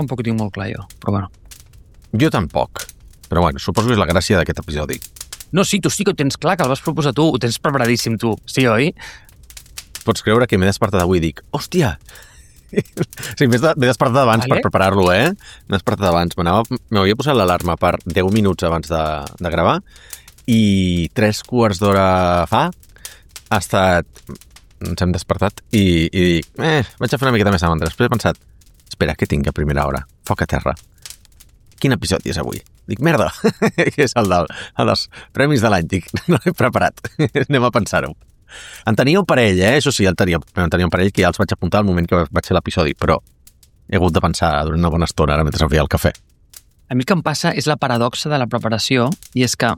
tampoc ho tinc molt clar jo, però bueno. Jo tampoc. Però bueno, suposo que és la gràcia d'aquest episodi. No, sí, tu sí que ho tens clar, que el vas proposar tu, ho tens preparadíssim tu. Sí, oi? Pots creure que m'he despertat avui i dic, hòstia! Sí, m'he despertat abans per preparar-lo, M'he despertat abans. M'havia posat l'alarma per 10 minuts abans de gravar i 3/4 d'hora fa ha estat... Ens hem despertat i dic, vaig a fer una miqueta més avant. Després he pensat, espera, què tinc a primera hora? Foc a terra. Quin episodi és avui? Dic, merda, que és el dels premis de l'any. Dic, no l'he preparat, anem a pensar-ho. En tenia un parell, Això sí, en tenia un parell que ja els vaig apuntar al moment que vaig fer l'episodi, però he hagut de pensar durant una bona estona ara mentre feia el cafè. A mi el que em passa és la paradoxa de la preparació, i és que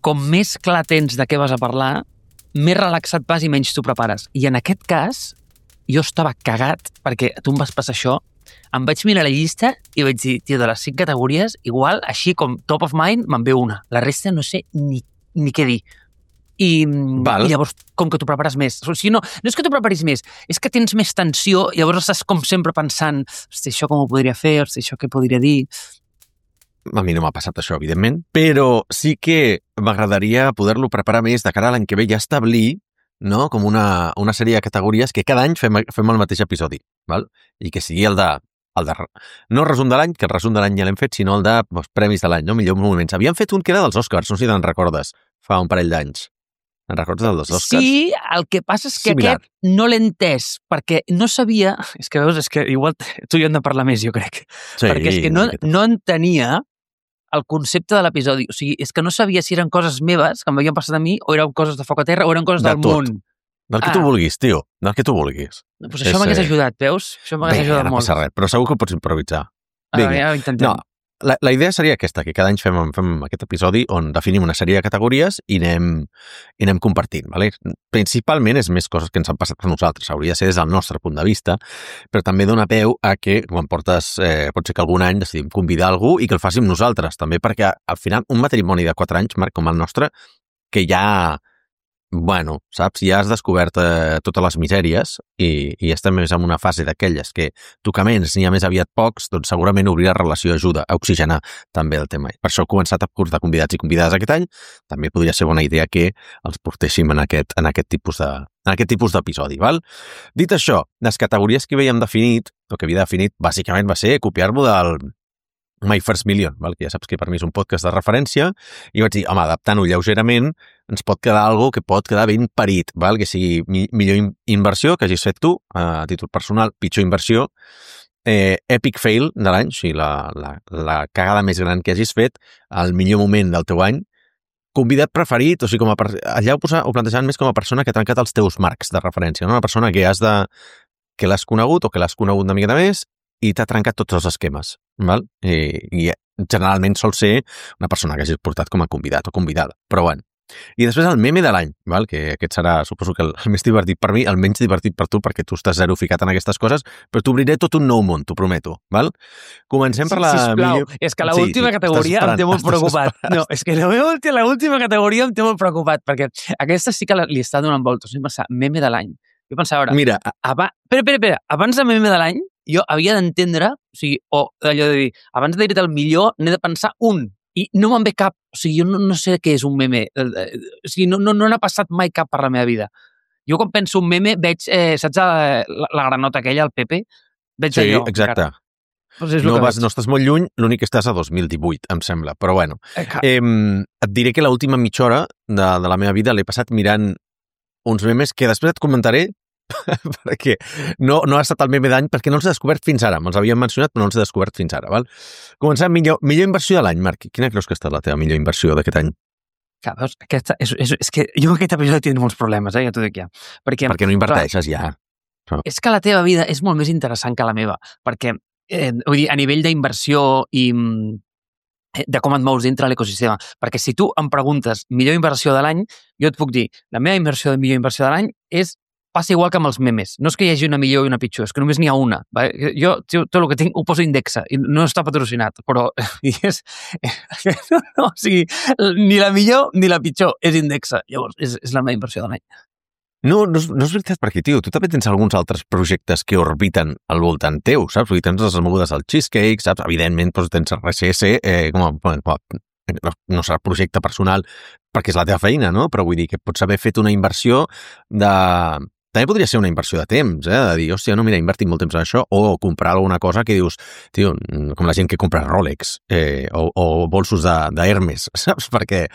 com més clar tens de què vas a parlar, més relaxat vas i menys t'ho prepares. I en aquest cas, jo estava cagat, perquè tu em vas passar això, em vaig mirar la llista i vaig dir, tio, de les 5 categories, igual, així com top of mind, me'n ve una. La resta no sé ni què dir. I llavors, com que t'ho prepares més. O sigui, no és que t'ho preparis més, és que tens més tensió, llavors estàs com sempre pensant, hosti, això com ho podria fer, hosti, això què podria dir... A mi no m'ha passat això, evidentment, però sí que m'agradaria poder-lo preparar més de cara a l'any que ve i establir, no?, com una sèrie de categories que cada any fem el mateix episodi, val? I que sigui el de no el resum de l'any, que el resum de l'any ja l'hem fet, sinó el de premis de l'any, no? Millor moments. Havíem fet un que era dels Oscars, no sé si te'n recordes, fa un parell d'anys. Te'n recordes del dels Oscars? Sí, el que passa és que aquest no l'he entès, perquè no sabia... És que veus, és que igual tu i jo hem de parlar més, jo crec. Sí, perquè és que no entenia el concepte de l'episodi. O sigui, és que no sabia si eren coses meves, que m'havien passat a mi, o eren coses de Foc a Terra, o eren coses del món. Del que tu vulguis, tio. Del que tu vulguis. Doncs això m'hagués ajudat, veus? Això m'hagués ajudat molt. No passa res, però segur que ho pots improvisar. Ja ho intentem. No, la idea seria aquesta, que cada any fem aquest episodi on definim una sèrie de categories i anem compartint, ¿vale? Principalment és més coses que ens han passat a nosaltres, hauria de ser des del nostre punt de vista, però també dona peu a que, quan portes, pot ser que algun any decidim convidar algú i que el fàssim nosaltres, també perquè al final un matrimoni de 4 anys, Marc, com el nostre, que ja... Bueno, saps? Ja has descobert totes les misèries i estem més en una fase d'aquelles que tocaments n'hi ha més aviat pocs, doncs segurament obrir la relació ajuda a oxigenar també el tema. Per això he començat a portar convidats i convidades aquest any. També podria ser bona idea que els portéssim en aquest tipus d'episodi, val? Dit això, les categories que havíem definit, o que havia definit, bàsicament va ser copiar-lo del My First Million, val? Que ja saps que per mi és un podcast de referència, i vaig dir, home, adaptant-ho lleugerament, ens pot quedar algo que pot quedar ben parit, val? Que sigui millor inversió que hagis fet tu, a títol personal, pitjor inversió, epic fail de l'any, o sigui, la cagada més gran que hagis fet, el millor moment del teu any, convidat preferit, o sigui, allà ho plantejaven més com a persona que ha trencat els teus marcs de referència, no? Una persona que l'has conegut o que l'has conegut una miqueta més i t'ha trencat tots els esquemes, val? I generalment sol ser una persona que hagis portat com a convidat o convidada, però bueno. I després el meme de l'any, val? Que aquest serà, suposo que el més divertit per mi, el menys divertit per tu, perquè tu estàs zero ficat en aquestes coses, però t'obriré tot un nou món, t'ho prometo, val? Comencem per la... Sisplau, és que l'última categoria em té molt preocupat. No, és que l'última categoria em té molt preocupat, perquè aquesta sí que li està donant voltes. Jo pensava, meme de l'any. Jo pensava, ara... Mira... Espera, abans de meme de l'any, jo havia d'entendre, o sigui, allò de dir, abans de dir-te el millor, n'he de pensar un, i no me'n ve cap, o sigui, jo no sé què és un meme, o sigui, no n'ha passat mai cap per la meva vida. Jo quan penso un meme veig, saps la granota aquella, el Pepe? Veig sí, allò. Exacte. Pues no estàs molt lluny, l'únic que estàs a 2018, em sembla, però bueno. Et diré que l'última mitja hora de la meva vida l'he passat mirant uns memes que després et comentaré perquè no ha estat el meme d'any perquè no els he descobert fins ara. Me'ls havien mencionat però no els he descobert fins ara. Val? Començant millor inversió de l'any, Marc. Quina creus que ha estat la teva millor inversió d'aquest any? Veus, és que jo aquest episodi tinc molts problemes, ja t'ho dic ja. Perquè no inverteixes ja. És que la teva vida és molt més interessant que la meva, perquè vull dir, a nivell d'inversió i de com et mous dintre l'ecosistema. Perquè si tu em preguntes millor inversió de l'any, jo et puc dir, la meva millor inversió de l'any passa igual que amb els memes. No és que hi hagi una millor i una pitjor, és que només n'hi ha una. Jo tot el que tinc ho poso indexa i no està patrocinat, però o sigui, ni la millor ni la pitjor és indexa. Llavors, és la meva inversió de l'any. No és veritat, perquè, tio, tu també tens alguns altres projectes que orbiten al voltant teu, saps? Vull dir, tens les mogudes al Cheesecake, saps? Evidentment, doncs, tens RSS, no serà projecte personal perquè és la teva feina, no? Però vull dir que pots haver fet una inversió de... També podria ser una inversió de temps, de dir, hòstia, no, mira, invertit molt temps en això, o comprar alguna cosa que dius, tio, com la gent que compra Rolex, o bolsos d'Hermes, saps? Perquè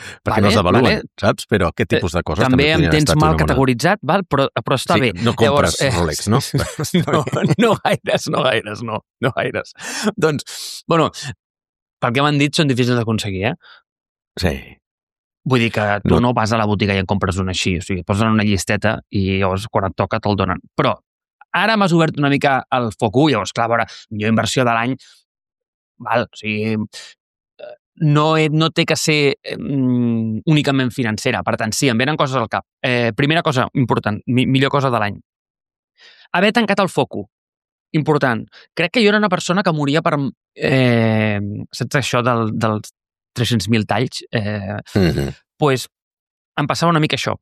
no s'avaluen, saps? Però aquest tipus de coses també em tens mal categoritzat, val? Però està bé. No compres Rolex, no? No gaires. Doncs, bueno, pel que m'han dit, són difícils d'aconseguir, Sí. Vull dir que tu no vas a la botiga i en compres una així, o sigui, posen una llisteta i llavors quan et toca te'l donen. Però ara m'has obert una mica el foc, llavors, clar, a veure, millor inversió de l'any, val, o sigui, no té que ser únicament financera, per tant, sí, em venen coses al cap. Primera cosa important, millor cosa de l'any. Haver tancat el foco, important. Crec que jo era una persona que moria per... saps això dels 300.000 talls? Pues em passava una mica això.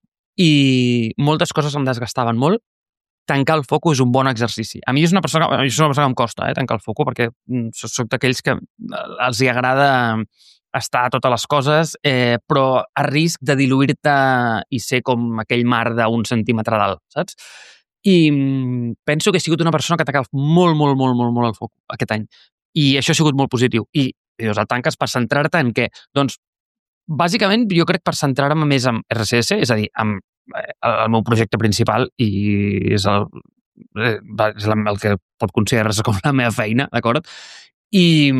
I moltes coses em desgastaven molt. Tancar el foco és un bon exercici. A mi és una persona que em costa, tancar el foco, perquè soc d'aquells que els hi agrada estar a totes les coses, però a risc de diluir-te i ser com aquell mar d'un centímetre d'alt, saps? I penso que he sigut una persona que ha tancat molt el foco aquest any. I això ha sigut molt positiu. I el tanques per centrar-te en què? Doncs, bàsicament, jo crec per centrar-me més en RSS, és a dir, en el meu projecte principal, i és el que pot considerar-se com la meva feina, d'acord? I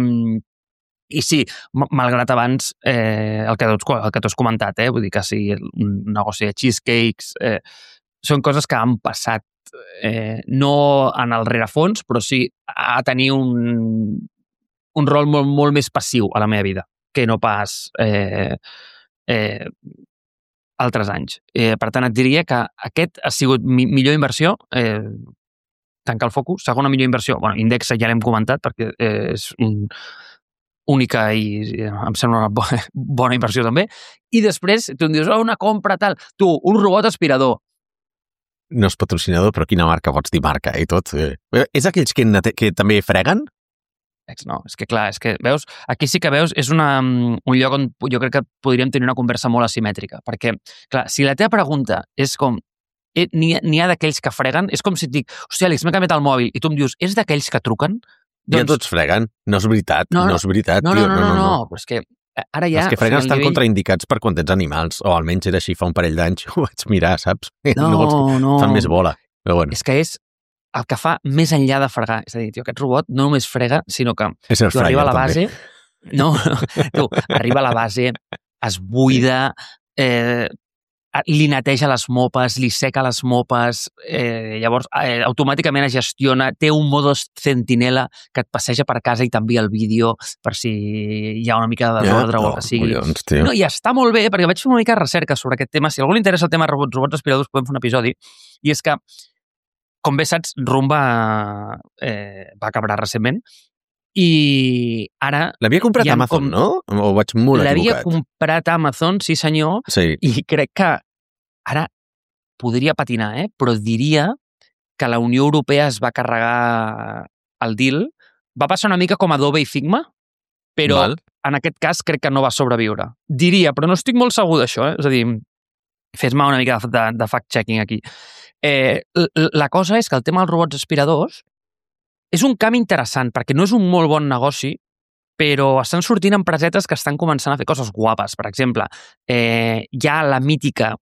sí, malgrat abans el que tu has comentat, vull dir que sí, un negoci de cheesecakes, són coses que han passat no en el rerefons, però sí a tenir un rol molt més passiu a la meva vida, que no pas altres anys. Per tant, et diria que aquest ha sigut millor inversió, tancar el focus. Segona millor inversió, Indexa ja l'hem comentat, perquè és única i em sembla una bona inversió també. I després, tu em dius, una compra tal. Tu, un robot aspirador. No és patrocinador, però quina marca pots dir marca i tot? És aquells que també freguen? No, és que clar, veus, aquí sí que veus, és un lloc on jo crec que podríem tenir una conversa molt asimètrica, perquè, clar, si la teva pregunta és com, n'hi ha d'aquells que freguen, és com si et dic, hòstia, Àlex, m'he canviat el mòbil, i tu em dius, és d'aquells que truquen? Ja tots freguen, no és veritat, no és veritat. No, però és que ara ja... Els que freguen estan contraindicats per quan tens animals, o almenys era així fa un parell d'anys, ho vaig mirar, saps? No. Fan més bola, però bueno. És que és el que fa més enllà de fregar. És a dir, tio, aquest robot no només frega, sinó que tu arriba a la base... No, tu, arriba a la base, es buida, li neteja les mopes, li seca les mopes, llavors automàticament es gestiona, té un modus centinela que et passeja per casa i t'envia el vídeo per si hi ha una mica de desordre o el que sigui. No, i està molt bé, perquè vaig fer una mica de recerca sobre aquest tema. Si a algú li interessa el tema robots aspiradors, podem fer un episodi. I és que, com bé saps, Roomba va acabar recentment i ara... L'havia comprat a Amazon, no? O vaig molt equivocat? L'havia comprat a Amazon, sí senyor, i crec que ara podria patinar, però diria que la Unió Europea es va carregar el deal. Va passar una mica com Adobe i Figma, però en aquest cas crec que no va sobreviure. Diria, però no estic molt segur d'això, És a dir, fes-me una mica de fact-checking aquí. La cosa és que el tema dels robots aspiradors és un camp interessant, perquè no és un molt bon negoci, però estan sortint empresetes que estan començant a fer coses guapes. Per exemple, hi ha la mítica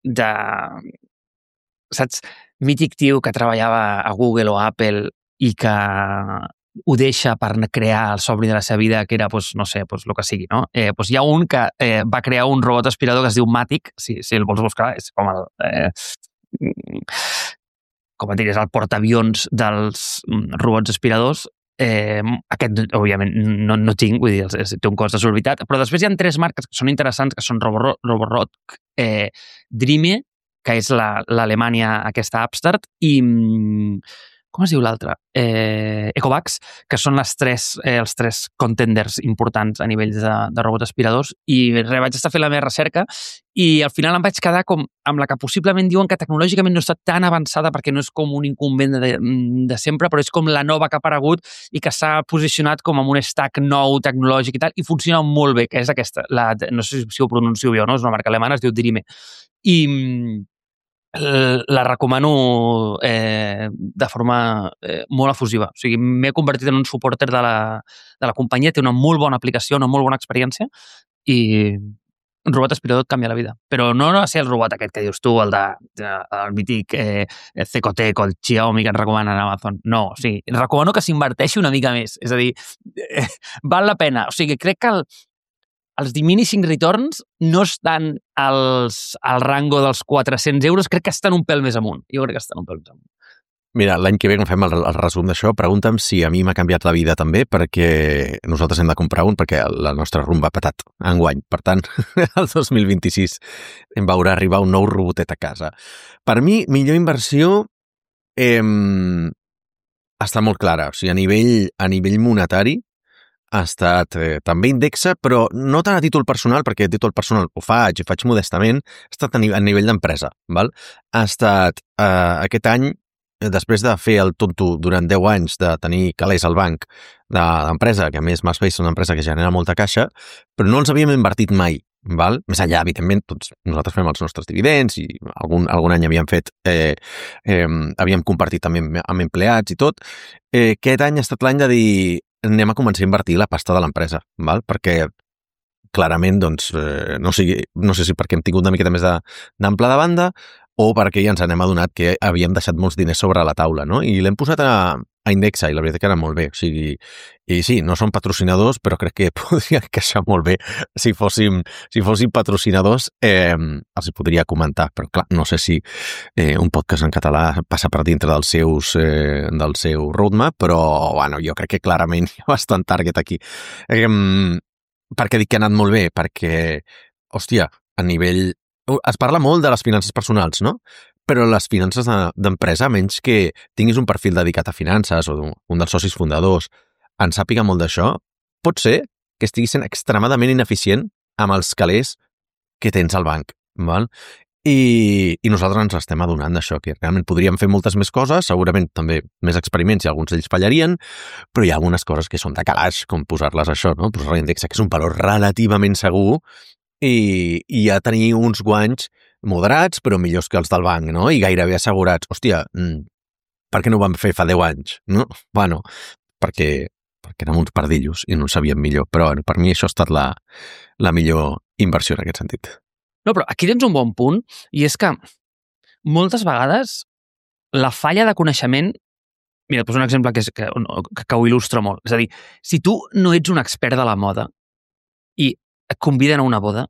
de... Saps? Mític tio que treballava a Google o a Apple i que ho deixa per crear el somni de la seva vida, que era, no sé, el que sigui, no? Hi ha un que va crear un robot aspirador que es diu Matic, si el vols buscar, és com com et diries, el portaavions dels robots aspiradors. Aquest, òbviament, no tinc, vull dir, té un cost desorbitat, però després hi ha 3 marques que són interessants, que són Roborock, Dreame, que és l'Alemanya aquesta upstart, i com es diu l'altre? Ecovacs, que són els tres contenders importants a nivell de robots aspiradors, i vaig estar fent la meva recerca i al final em vaig quedar com amb la que possiblement diuen que tecnològicament no està tan avançada perquè no és com un incumbent de sempre, però és com la nova que ha aparegut i que s'ha posicionat com amb un stack nou tecnològic i tal, i funciona molt bé, que és aquesta. No sé si ho pronuncio bé o no, és una marca alemana, es diu Drime. I la recomano de forma molt efusiva. O sigui, m'he convertit en un supporter de la companyia, té una molt bona aplicació, una molt bona experiència i un robot aspirador et canvia la vida. Però no va ser el robot aquest que dius tu, el mític Cecotec o el Xiaomi que ens recomanen a Amazon. No, o sigui, recomano que s'inverteixi una mica més. És a dir, val la pena. O sigui, crec que els diminishing returns no estan al rango dels 400 euros, crec que estan un pèl més amunt. Jo crec que estan un pèl més amunt. Mira, l'any que ve, quan fem el resum d'això, pregunta'm si a mi m'ha canviat la vida també, perquè nosaltres hem de comprar un, perquè la nostra rumba ha patat enguany. Per tant, el 2026 em veurà arribar un nou robotet a casa. Per mi, millor inversió està molt clara. O sigui, a nivell monetari, ha estat també Indexa, però no tant a títol personal, perquè a títol personal ho faig modestament, ha estat a nivell d'empresa. Val? Ha estat aquest any, després de fer el tonto durant 10 anys, de tenir calés al banc d'empresa, que a més MySpace és una empresa que genera molta caixa, però no els havíem invertit mai. Val? Més enllà, evidentment, tots nosaltres fem els nostres dividends i algun any havíem compartit també amb empleats i tot. Aquest any ha estat l'any de dir anem a començar a invertir la pasta de l'empresa, val? Perquè clarament, doncs, no sé si perquè hem tingut una miqueta més d'ample de banda o perquè ja ens n'hem adonat que havíem deixat molts diners sobre la taula, no? I l'hem posat a Indexa i la veritat que era molt bé. O sigui, i sí, no són patrocinadors, però crec que podria encaixar molt bé. Si fóssim patrocinadors, els hi podria comentar, però clar, no sé si un podcast en català passa per dintre del seu roadmap, però bueno, jo crec que clarament hi ha bastant target aquí. Per què dic que ha anat molt bé? Perquè, hòstia, a nivell... Es parla molt de les finances personals, no? Però les finances d'empresa, menys que tinguis un perfil dedicat a finances o un dels socis fundadors en sàpiga molt d'això, pot ser que estigui sent extremadament ineficient amb els calés que tens al banc. Val? I nosaltres ens estem adonant d'això, que realment podríem fer moltes més coses, segurament també més experiments i alguns d'ells fallarien, però hi ha algunes coses que són de calaix, com posar-les això, no? Posar l'índex, que és un valor relativament segur i ja tenir uns guanys moderats, però millors que els del banc, no? I gairebé assegurats. Hòstia, per què no ho vam fer fa 10 anys? No? Bueno, perquè érem uns pardillos i no ho sabíem millor. Però per mi això ha estat la millor inversió en aquest sentit. No, però aquí tens un bon punt, i és que moltes vegades la falla de coneixement... Mira, et poso un exemple que ho il·lustra molt. És a dir, si tu no ets un expert de la moda i et conviden a una boda,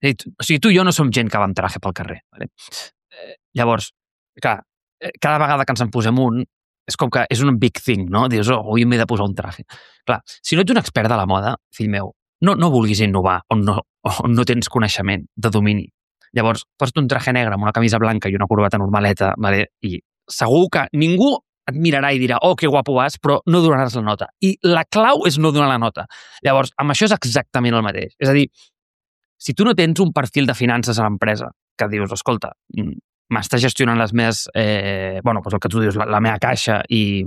o sigui, tu i jo no som gent que va amb traje pel carrer. Vale? Llavors, clar, cada vegada que ens en posem un, és com que és un big thing, no? Dius, avui m'he de posar un traje. Clar, si no ets un expert de la moda, fill meu, no vulguis innovar on no tens coneixement de domini. Llavors, posa't un traje negre amb una camisa blanca i una corbata normaleta, vale? I segur que ningú et mirarà i dirà, oh, que guapo vas, però no donaràs la nota. I la clau és no donar la nota. Llavors, amb això és exactament el mateix. És a dir, si tu no tens un perfil de finances a l'empresa, que dius, escolta, m'està gestionant les meves... doncs el que tu dius, la meva caixa i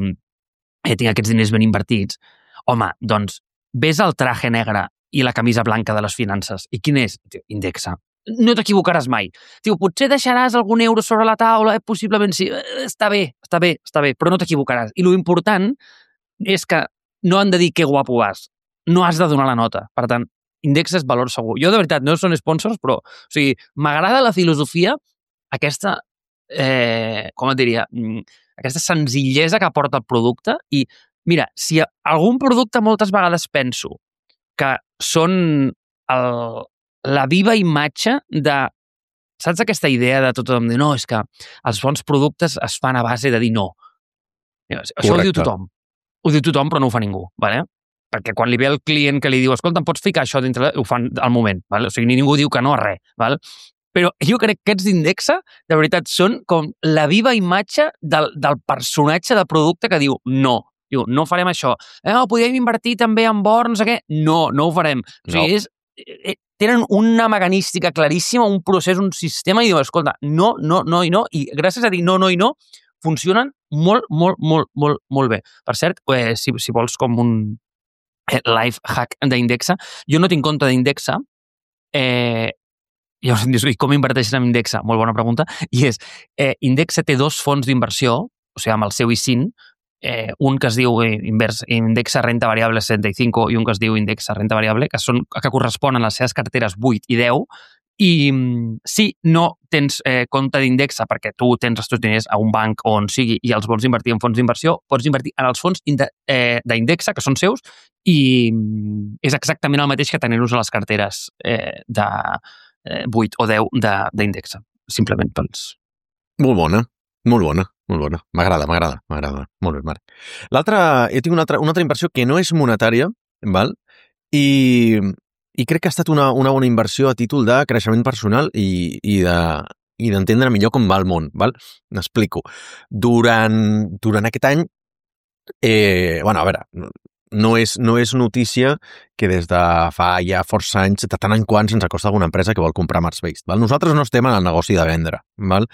tinc aquests diners ben invertits, home, doncs, ves el traje negre i la camisa blanca de les finances. I quin és? Indexa. No t'equivocaràs mai. Potser deixaràs algun euro sobre la taula, possiblement sí. Està bé, però no t'equivocaràs. I l'important és que no han de dir que guapo vas. No has de donar la nota. Per tant, Indexa és valor segur. Jo, de veritat, no són sponsors, però m'agrada la filosofia, aquesta, com et diria, aquesta senzillesa que aporta el producte. I, mira, si algun producte moltes vegades penso que són la viva imatge de... Saps aquesta idea de tothom? De, no, és que els bons productes es fan a base de dir no. Això ho diu tothom. Ho diu tothom, però no ho fa ningú. Vale? Perquè quan li ve el client que li diu escolta, em pots ficar això dintre... Ho fan al moment. Vale? O sigui, ningú diu que no a res. Vale? Però jo crec que aquests d'Indexa, de veritat, són com la viva imatge del personatge de producte que diu no farem això. Podríem invertir també en or, no sé què. No ho farem. O sigui, tenen una mecanística claríssima, un procés, un sistema, i diuen, escolta, no, i gràcies a dir no, funcionen molt, molt, molt, molt, molt bé. Per cert, si vols com un life hack d'Indexa, jo no tinc compte d'Indexa, i com inverteixes en Indexa? Molt bona pregunta. I és, Indexa té 2 fons d'inversió, o sigui, amb el seu ISIN, un que es diu Indexa Renta Variable 65 i un que es diu Indexa Renta Variable, que corresponen a les seves carteres 8 i 10, i si no tens compte d'Indexa perquè tu tens els teus diners a un banc o on sigui i els vols invertir en fons d'inversió, pots invertir en els fons d'Indexa, que són seus, i és exactament el mateix que tenir-los a les carteres de 8 o 10 d'Indexa, simplement pels... Molt bona. M'agrada. Molt bé, Marc. L'altra, jo tinc una altra inversió que no és monetària, val? I crec que ha estat una bona inversió a títol de creixement personal i d'entendre millor com va el món, val? M'explico. Durant aquest any, a veure, no és notícia que des de fa ja força anys, de tant en quant se'ns acosta alguna empresa que vol comprar Marsbase, val? Nosaltres no estem en el negoci de vendre, val?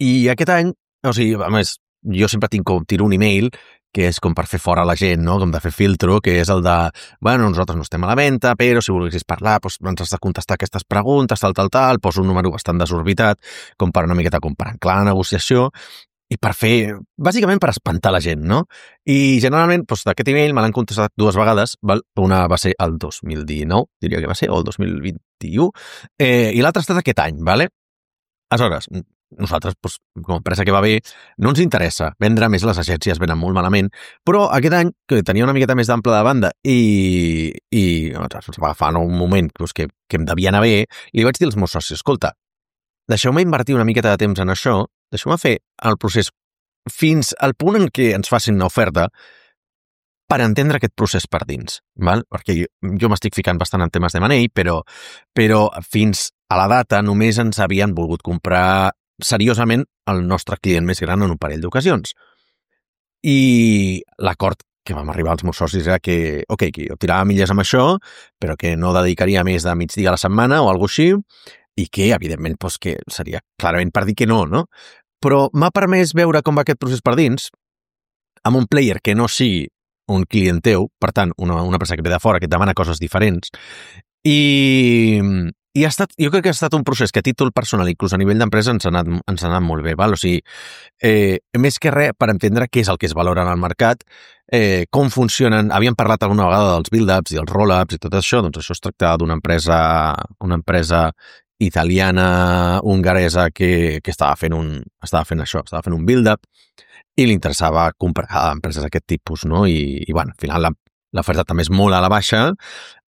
I aquest any, o sigui, a més, jo sempre tiro un email que és com per fer fora la gent, no? Com de fer filtro, que és el de, nosaltres no estem a la venda, però si volguessis parlar, doncs ens has de contestar aquestes preguntes, tal, poso un número bastant desorbitat, com per una miqueta comparar clar la negociació, i per fer, bàsicament per espantar la gent, no? I generalment, doncs, d'aquest email me l'han contestat 2 vegades, val? Una va ser el 2019, diria que va ser, o el 2021, i l'altra ha estat aquest any, vale? Aleshores, nosaltres, doncs, com a empresa que va bé, no ens interessa vendre més, les agències venen molt malament, però aquest any, que tenia una miqueta més d'ample de banda i ens va agafar un moment doncs, que em devia anar bé, i li vaig dir als meus socis, escolta, deixeu-me invertir una miqueta de temps en això, deixeu-me fer el procés fins al punt en què ens facin una oferta per entendre aquest procés per dins, val? Perquè jo m'estic ficant bastant en temes de M&A, però fins a la data només ens havien volgut comprar seriosament el nostre client més gran en un parell d'ocasions. I l'acord que vam arribar als meus socis era que, que jo tirava milles amb això, però que no dedicaria més de migdia a la setmana o alguna cosa així, i que, evidentment, doncs, que seria clarament per dir que no? Però m'ha permès veure com va aquest procés per dins amb un player que no sigui un client teu, per tant, una empresa que ve de fora, que et demana coses diferents, i jo crec que ha estat un procés que a títol personal, inclús a nivell d'empresa, ens ha anat molt bé, val? O sigui, més que res per entendre què és el que es valora en el mercat, com funcionen, havíem parlat alguna vegada dels build-ups i els roll-ups i tot això, doncs això es tractava d'una empresa italiana, hongaresa, que estava fent un build-up, i li interessava comprar empreses d'aquest tipus, no? I al final l'oferta també és molt a la baixa,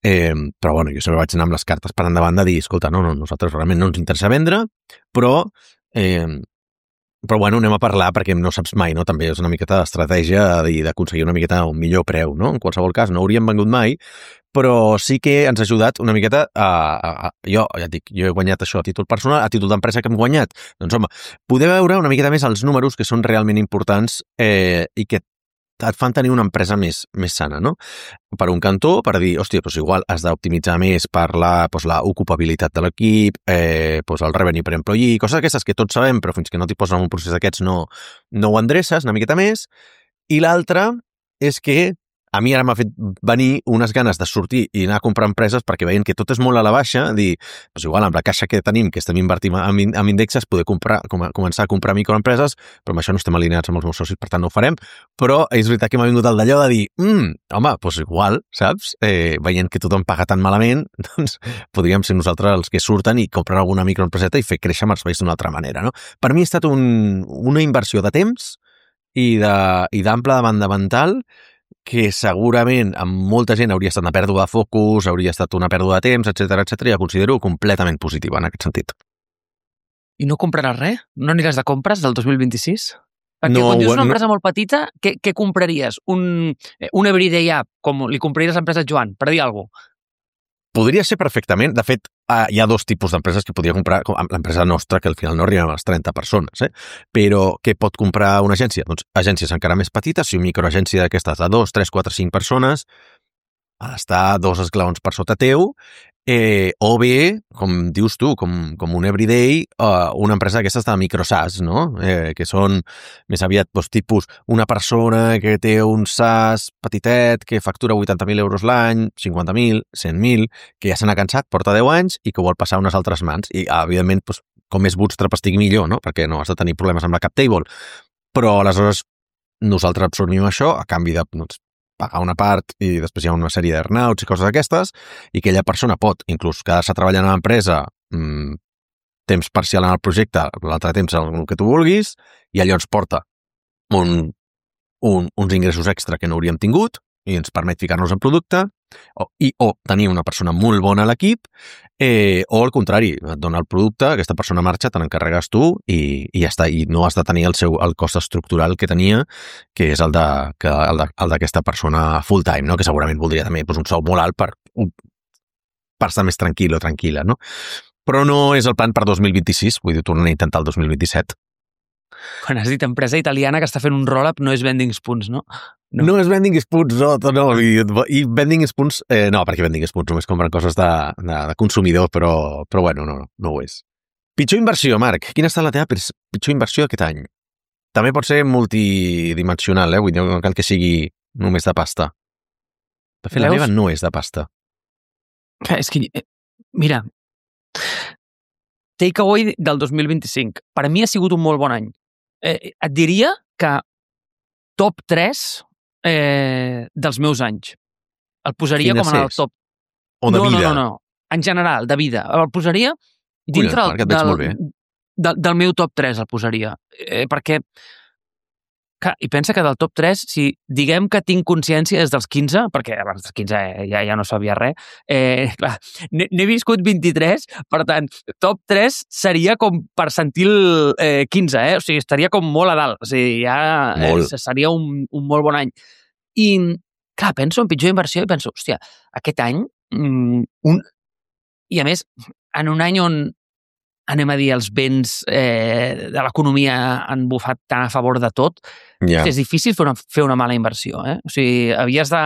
però jo sempre vaig anar amb les cartes per endavant de dir, escolta, no, nosaltres realment no ens interessa vendre, però anem a parlar perquè no saps mai, no? També és una miqueta d'estratègia d'aconseguir una miqueta un millor preu, no? En qualsevol cas, no hauríem vengut mai, però sí que ens ha ajudat una miqueta jo ja et dic, jo he guanyat això a títol personal, a títol d'empresa que hem guanyat. Doncs home, poder veure una miqueta més els números que són realment importants i que et fan tenir una empresa més sana, no? Per un cantó, per dir, hòstia, doncs igual has d'optimitzar més per la ocupabilitat de l'equip, el revenue per employee, coses aquestes que tots sabem, però fins que no t'hi poses en un procés d'aquests no ho endreces una miqueta més. I l'altra és que a mi ara m'ha fet venir unes ganes de sortir i anar a comprar empreses perquè veient que tot és molt a la baixa, dir, doncs igual amb la caixa que tenim, que estem invertint en indexes, poder començar a comprar microempreses, però amb això no estem alineats amb els meus socis, per tant no ho farem, però és veritat que m'ha vingut el d'allò de dir, home, doncs igual, saps? Veient que tothom paga tan malament, doncs podríem ser nosaltres els que surten i comprar alguna microempreseta i fer créixer Marsbase d'una altra manera, no? Per mi ha estat una inversió de temps i d'ample de banda mental que segurament amb molta gent hauria estat una pèrdua de focus, hauria estat una pèrdua de temps, etc i la considero completament positiva en aquest sentit. I no compraràs res? No aniràs de compres del 2026? Perquè quan dius una empresa molt petita, què compraries? Un everyday app, com li compraries a l'empresa Joan, per dir alguna cosa? Podria ser perfectament. De fet, hi ha dos tipus d'empreses que podria comprar, com l'empresa nostra, que al final no arriba a les 30 persones, però què pot comprar una agència? Doncs agències encara més petites, si una microagència d'aquestes de 2, 3, 4, 5 persones ha d'estar 2 esglaons per sota teu, o bé, com dius tu, com un everyday, una empresa d'aquestes de microSaaS, no? Que són més aviat tipus una persona que té un SaaS petitet, que factura 80.000 euros l'any, 50.000, 100.000, que ja se n'ha cansat, porta 10 anys i que vol passar a unes altres mans. I, evidentment, com més bootstrap estigui millor, no? Perquè no has de tenir problemes amb la cap table. Però, aleshores, nosaltres absorbim això a canvi de pagar una part i després hi ha una sèrie d'earnouts i coses d'aquestes, i aquella persona pot inclús quedar-se treballant a l'empresa temps parcial en el projecte, l'altre temps el que tu vulguis, i allò ens porta uns ingressos extra que no hauríem tingut i ens permet ficar-nos en producte, o tenir una persona molt bona a l'equip, o al contrari, et dona el producte, aquesta persona marxa, te n'encarregues tu i ja està, i no has de tenir el cost estructural que tenia, que és el d'aquesta persona full time, no? Que segurament voldria també un sou molt alt per estar més tranquil o tranquil·la, no? Però no és el plan per 2026, vull dir, tornem a intentar el 2027. Quan has dit empresa italiana que està fent un roll-up, no és Vending Spoons, no? No és Vending Spoons, no. I Vending Spoons, no, perquè Vending Spoons només compren coses de consumidor, però bueno, no ho és. Pitjor inversió, Marc. Quina ha estat la teva pitjor inversió aquest any? També pot ser multidimensional, vull dir, no cal que sigui només de pasta. De fet, la meva no és de pasta. És que, mira, Takeaway del 2025. Per mi ha sigut un molt bon any. Et diria que top 3 dels meus anys. El posaria com en el top... O de vida? No. En general, de vida. El posaria dintre del meu top 3, el posaria. Perquè... I pensa que del top 3, si diguem que tinc consciència des dels 15, perquè abans dels 15 ja no sabia res, clar, n'he viscut 23, per tant, top 3 seria com percentil 15, o sigui, estaria com molt a dalt, o sigui, ja seria un molt bon any. I, clar, penso en pitjor inversió i penso, hòstia, aquest any, i a més, en un any on anem a dir, els vents de l'economia han bufat tan a favor de tot, és difícil fer una mala inversió. O sigui, havies de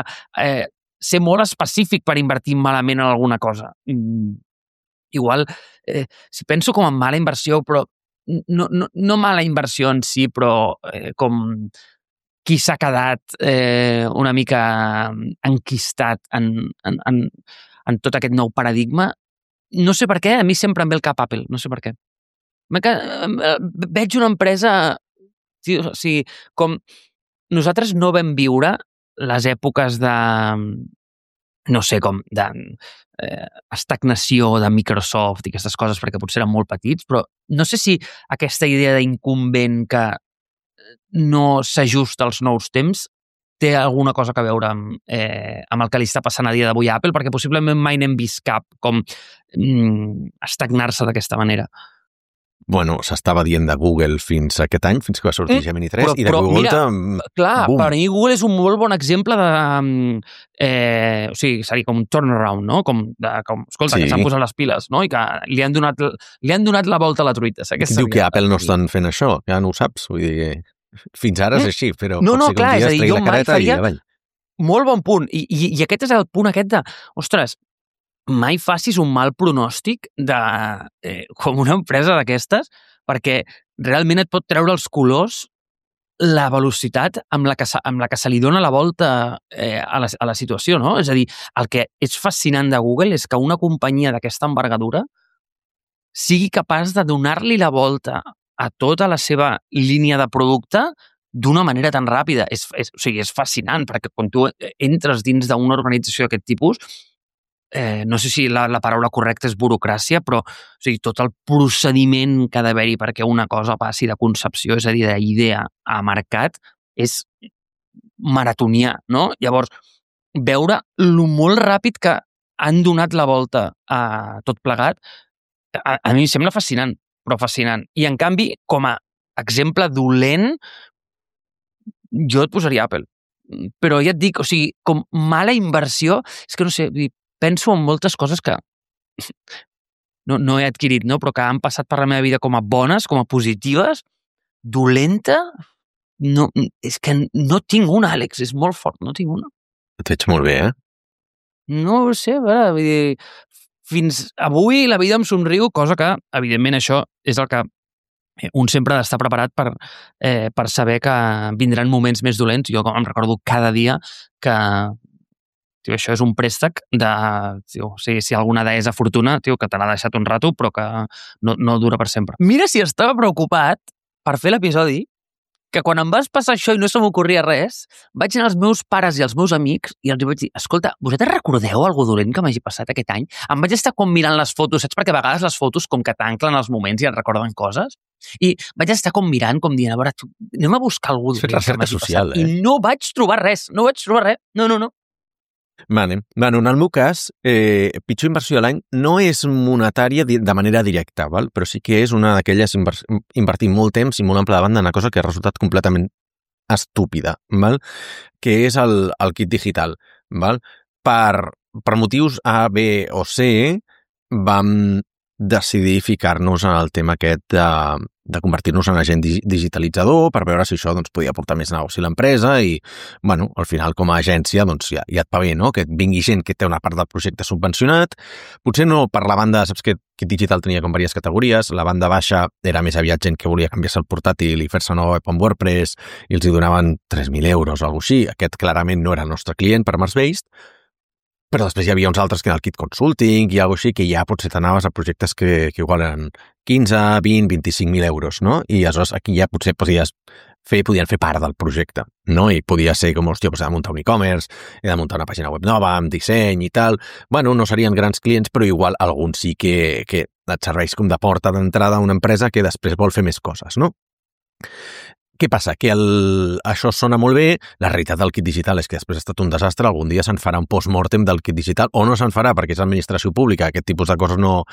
ser molt específic per invertir malament en alguna cosa. Igual, si penso com en mala inversió, però no mala inversió en si, però com qui s'ha quedat una mica enquistat en tot aquest nou paradigma. No sé per què, a mi sempre em ve el cap Apple, no sé per què. Veig una empresa... O sigui, com nosaltres no vam viure les èpoques de... no sé, com de estagnació de Microsoft i aquestes coses, perquè potser eren molt petits, però no sé si aquesta idea d'incumbent que no s'ajusta als nous temps té alguna cosa a veure amb el que li està passant a dia d'avui a Apple, perquè possiblement mai n'hem vist cap com estagnar-se d'aquesta manera. Bueno, s'estava dient de Google fins aquest any, fins que va sortir Gemini 3, i de Google... Mira, clar, per mi Google és un molt bon exemple de... o sigui, seria com un turnaround, no? Escolta, que s'han posat les piles, no? I que li han donat la volta a la truita. Diu que Apple no estan fent això, ja no ho saps, vull dir... Fins ara és així, però pot ser que un dia es tregui la careta i avall. Molt bon punt. I aquest és el punt aquest de... Ostres, mai facis un mal pronòstic de com una empresa d'aquestes, perquè realment et pot treure els colors la velocitat amb la que se li dona la volta a la situació, no? És a dir, el que és fascinant de Google és que una companyia d'aquesta envergadura sigui capaç de donar-li la volta a tota la seva línia de producte d'una manera tan ràpida. O sigui, és fascinant, perquè quan tu entres dins d'una organització d'aquest tipus, no sé si la paraula correcta és burocràcia, però o sigui, tot el procediment que ha d'haver-hi perquè una cosa passi de concepció, és a dir, d'idea a mercat, és maratonià, no? Llavors, veure lo molt ràpid que han donat la volta a tot plegat, a mi em sembla fascinant, però fascinant. I, en canvi, com a exemple dolent, jo et posaria Apple. Però ja et dic, o sigui, com mala inversió, és que no sé, penso en moltes coses que no he adquirit, no? Però que han passat per la meva vida com a bones, com a positives, dolenta, no, és que no tinc una, Àlex, és molt fort, no tinc una. Et veig molt bé, No ho sé, a veure, vull dir, fins avui la vida em somriu, cosa que, evidentment, això és el que un sempre ha d'estar preparat per saber que vindran moments més dolents. Jo em recordo cada dia que això és un préstec de... si alguna deessa fortuna, que te l'ha deixat un rato, però que no dura per sempre. Mira si estava preocupat per fer l'episodi, que quan em vas passar això i no se m'ocorria res, vaig anar als meus pares i als meus amics i els vaig dir, escolta, vosaltres recordeu algo dolent que m'hagi passat aquest any? Em vaig estar com mirant les fotos, saps? Perquè a vegades les fotos com que t'anclen els moments i et recorden coses. I vaig estar com mirant, com dient, a veure, anem a buscar algú dolent que m'hagi social, passat. I no vaig trobar res, no. Vale. Bueno, en el meu cas, pitjor inversió de l'any no és monetària de manera directa, val? Però sí que és una d'aquelles invertir molt temps i molt ample de banda en una cosa que ha resultat completament estúpida, val? Que és el kit digital. Val? Per motius A, B o C vam decidir ficar-nos en el tema aquest de convertir-nos en agent digitalitzador per veure si això doncs, podia portar més negoci a l'empresa i, bueno, al final com a agència doncs, ja et va bé, no? Que et vingui gent que té una part del projecte subvencionat. Potser no per la banda, saps que Kit Digital tenia com diverses categories, la banda baixa era més aviat gent que volia canviar-se el portàtil i fer-se una web amb WordPress i els hi donaven 3.000 euros o alguna cosa així. Aquest clarament no era el nostre client per Mars-Based, però després hi havia uns altres que en el kit consulting i alguna cosa així que ja potser t'anaves a projectes que igual eren 15, 20, 25.000 euros, no? I aleshores aquí ja potser podien fer part del projecte, no? I podia ser com, hòstia, he de muntar un e-commerce, he de muntar una pàgina web nova, amb disseny i tal. Bueno, no serien grans clients, però igual alguns sí que et serveix com de porta d'entrada a una empresa que després vol fer més coses, no? Què passa? Que això sona molt bé, la realitat del kit digital és que després ha estat un desastre, algun dia se'n farà un post-mortem del kit digital, o no se'n farà perquè és administració pública, aquest tipus de coses no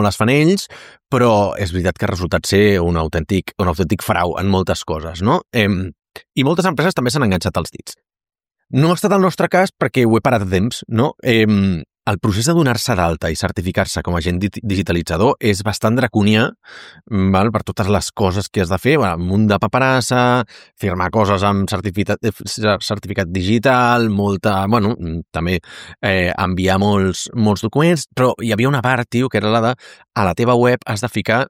les fan ells, però és veritat que ha resultat ser un autèntic frau en moltes coses, no? I moltes empreses també s'han enganxat als dits. No ha estat el nostre cas perquè ho he parat a temps, no? El procés de donar-se d'alta i certificar-se com a agent digitalitzador és bastant draconià, val? Per totes les coses que has de fer, un munt de paperassa, firmar coses amb certificat digital, també enviar molts documents, però hi havia una part, tio, que era la de a la teva web has de ficar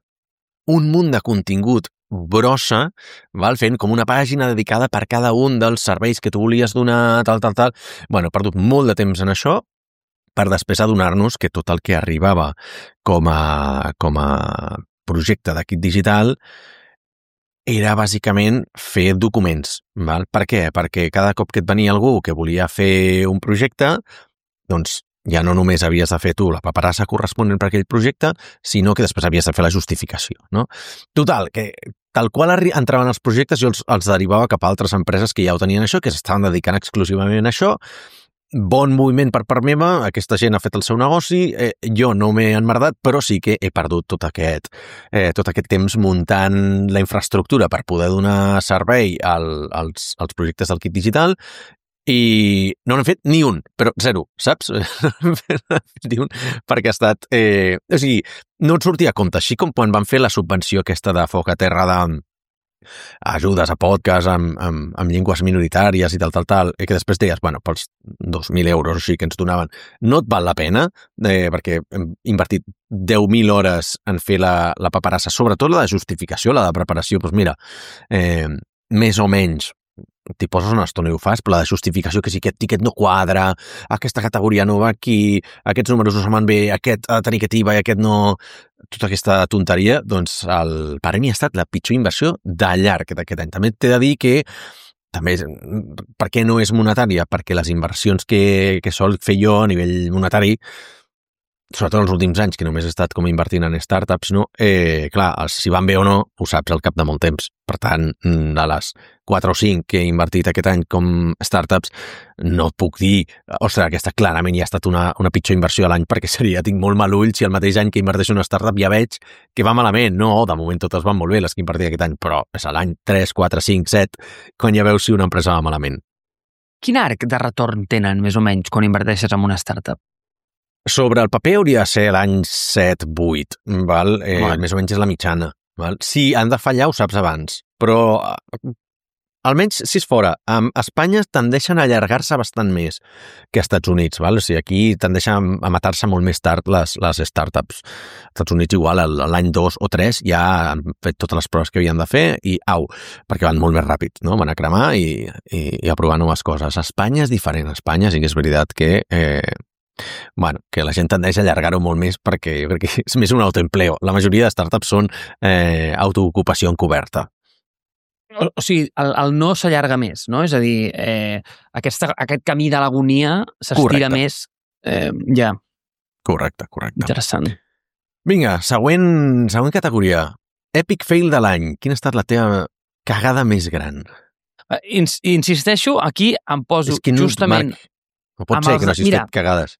un munt de contingut brossa, val? Fent com una pàgina dedicada per cada un dels serveis que tu volies donar, tal. Bueno, he perdut molt de temps en això, per després adonar-nos que tot el que arribava com a projecte de kit digital era bàsicament fer documents. Val? Per què? Perquè cada cop que et venia algú que volia fer un projecte, doncs ja no només havies de fer tu la paperassa corresponent per aquell projecte, sinó que després havies de fer la justificació. No? Total, que tal qual entraven els projectes jo els derivava cap a altres empreses que ja ho tenien això, que s'estaven dedicant exclusivament a això. Bon moviment per part meva, aquesta gent ha fet el seu negoci, jo no m'he enmerdat, però sí que he perdut tot aquest temps muntant la infraestructura per poder donar servei als projectes del kit digital i no n'he fet ni un, però zero, saps? Ni un, perquè ha estat... o sigui, no et sortia a compte, així com quan van fer la subvenció aquesta de Foc a Terra ajudes a podcast amb llengües minoritàries i tal, i que després deies, bueno, pels 2.000 euros així que ens donaven, no et val la pena, perquè hem invertit 10.000 hores en fer la paperassa, sobretot la de justificació, la de preparació, doncs mira, més o menys, t'hi poses una estona i ho fas, però la de justificació, que si aquest tiquet no quadra, aquesta categoria no va aquí, aquests números no se'n van bé, aquest ha de tenir aquest IVA i aquest no... Tota aquesta tonteria, doncs per mi ha estat la pitjor inversió de llarg d'aquest any. També t'he de dir que també, per què no és monetària? Perquè les inversions que sol fer jo a nivell monetari, sobretot els últims anys, que només he estat com invertint en startups, no? Clar, si van bé o no, ho saps al cap de molt temps. Per tant, de les 4 o 5 que he invertit aquest any com startups, no et puc dir, ostres, aquesta clarament ja ha estat una pitjor inversió a l'any, perquè tinc molt mal ull si el mateix any que inverteixo en una startup ja veig que va malament. No, de moment totes van molt bé, les que he invertit aquest any, però és a l'any 3, 4, 5, 7, quan ja veus si una empresa va malament. Quin arc de retorn tenen, més o menys, quan inverteixes en una startup? Sobre el paper hauria de ser l'any 7-8, val? Més o menys és la mitjana. Val? Si han de fallar, ho saps abans. Però, almenys, si és fora, a Espanya tendeixen a allargar-se bastant més que als Estats Units. Val? O sigui, aquí tendeixen a matar-se molt més tard les startups. Als Estats Units igual, l'any 2 o 3 ja han fet totes les proves que havien de fer i perquè van molt més ràpid, no? Van a cremar i a provar noves coses. A Espanya és diferent. A Espanya sí que és veritat que que la gent tendeix a allargar-ho molt més perquè jo crec que és més un autoempleo. La majoria de startups són autoocupació encoberta. O sigui, el no s'allarga més, no? És a dir, aquest camí de l'agonia s'estira més. Ja. Correcte. Interessant. Vinga, següent categoria. Epic fail de l'any. Quina ha estat la teva cagada més gran? Insisteixo, aquí em poso justament... Marc, no pot ser que no hagis fet cagades.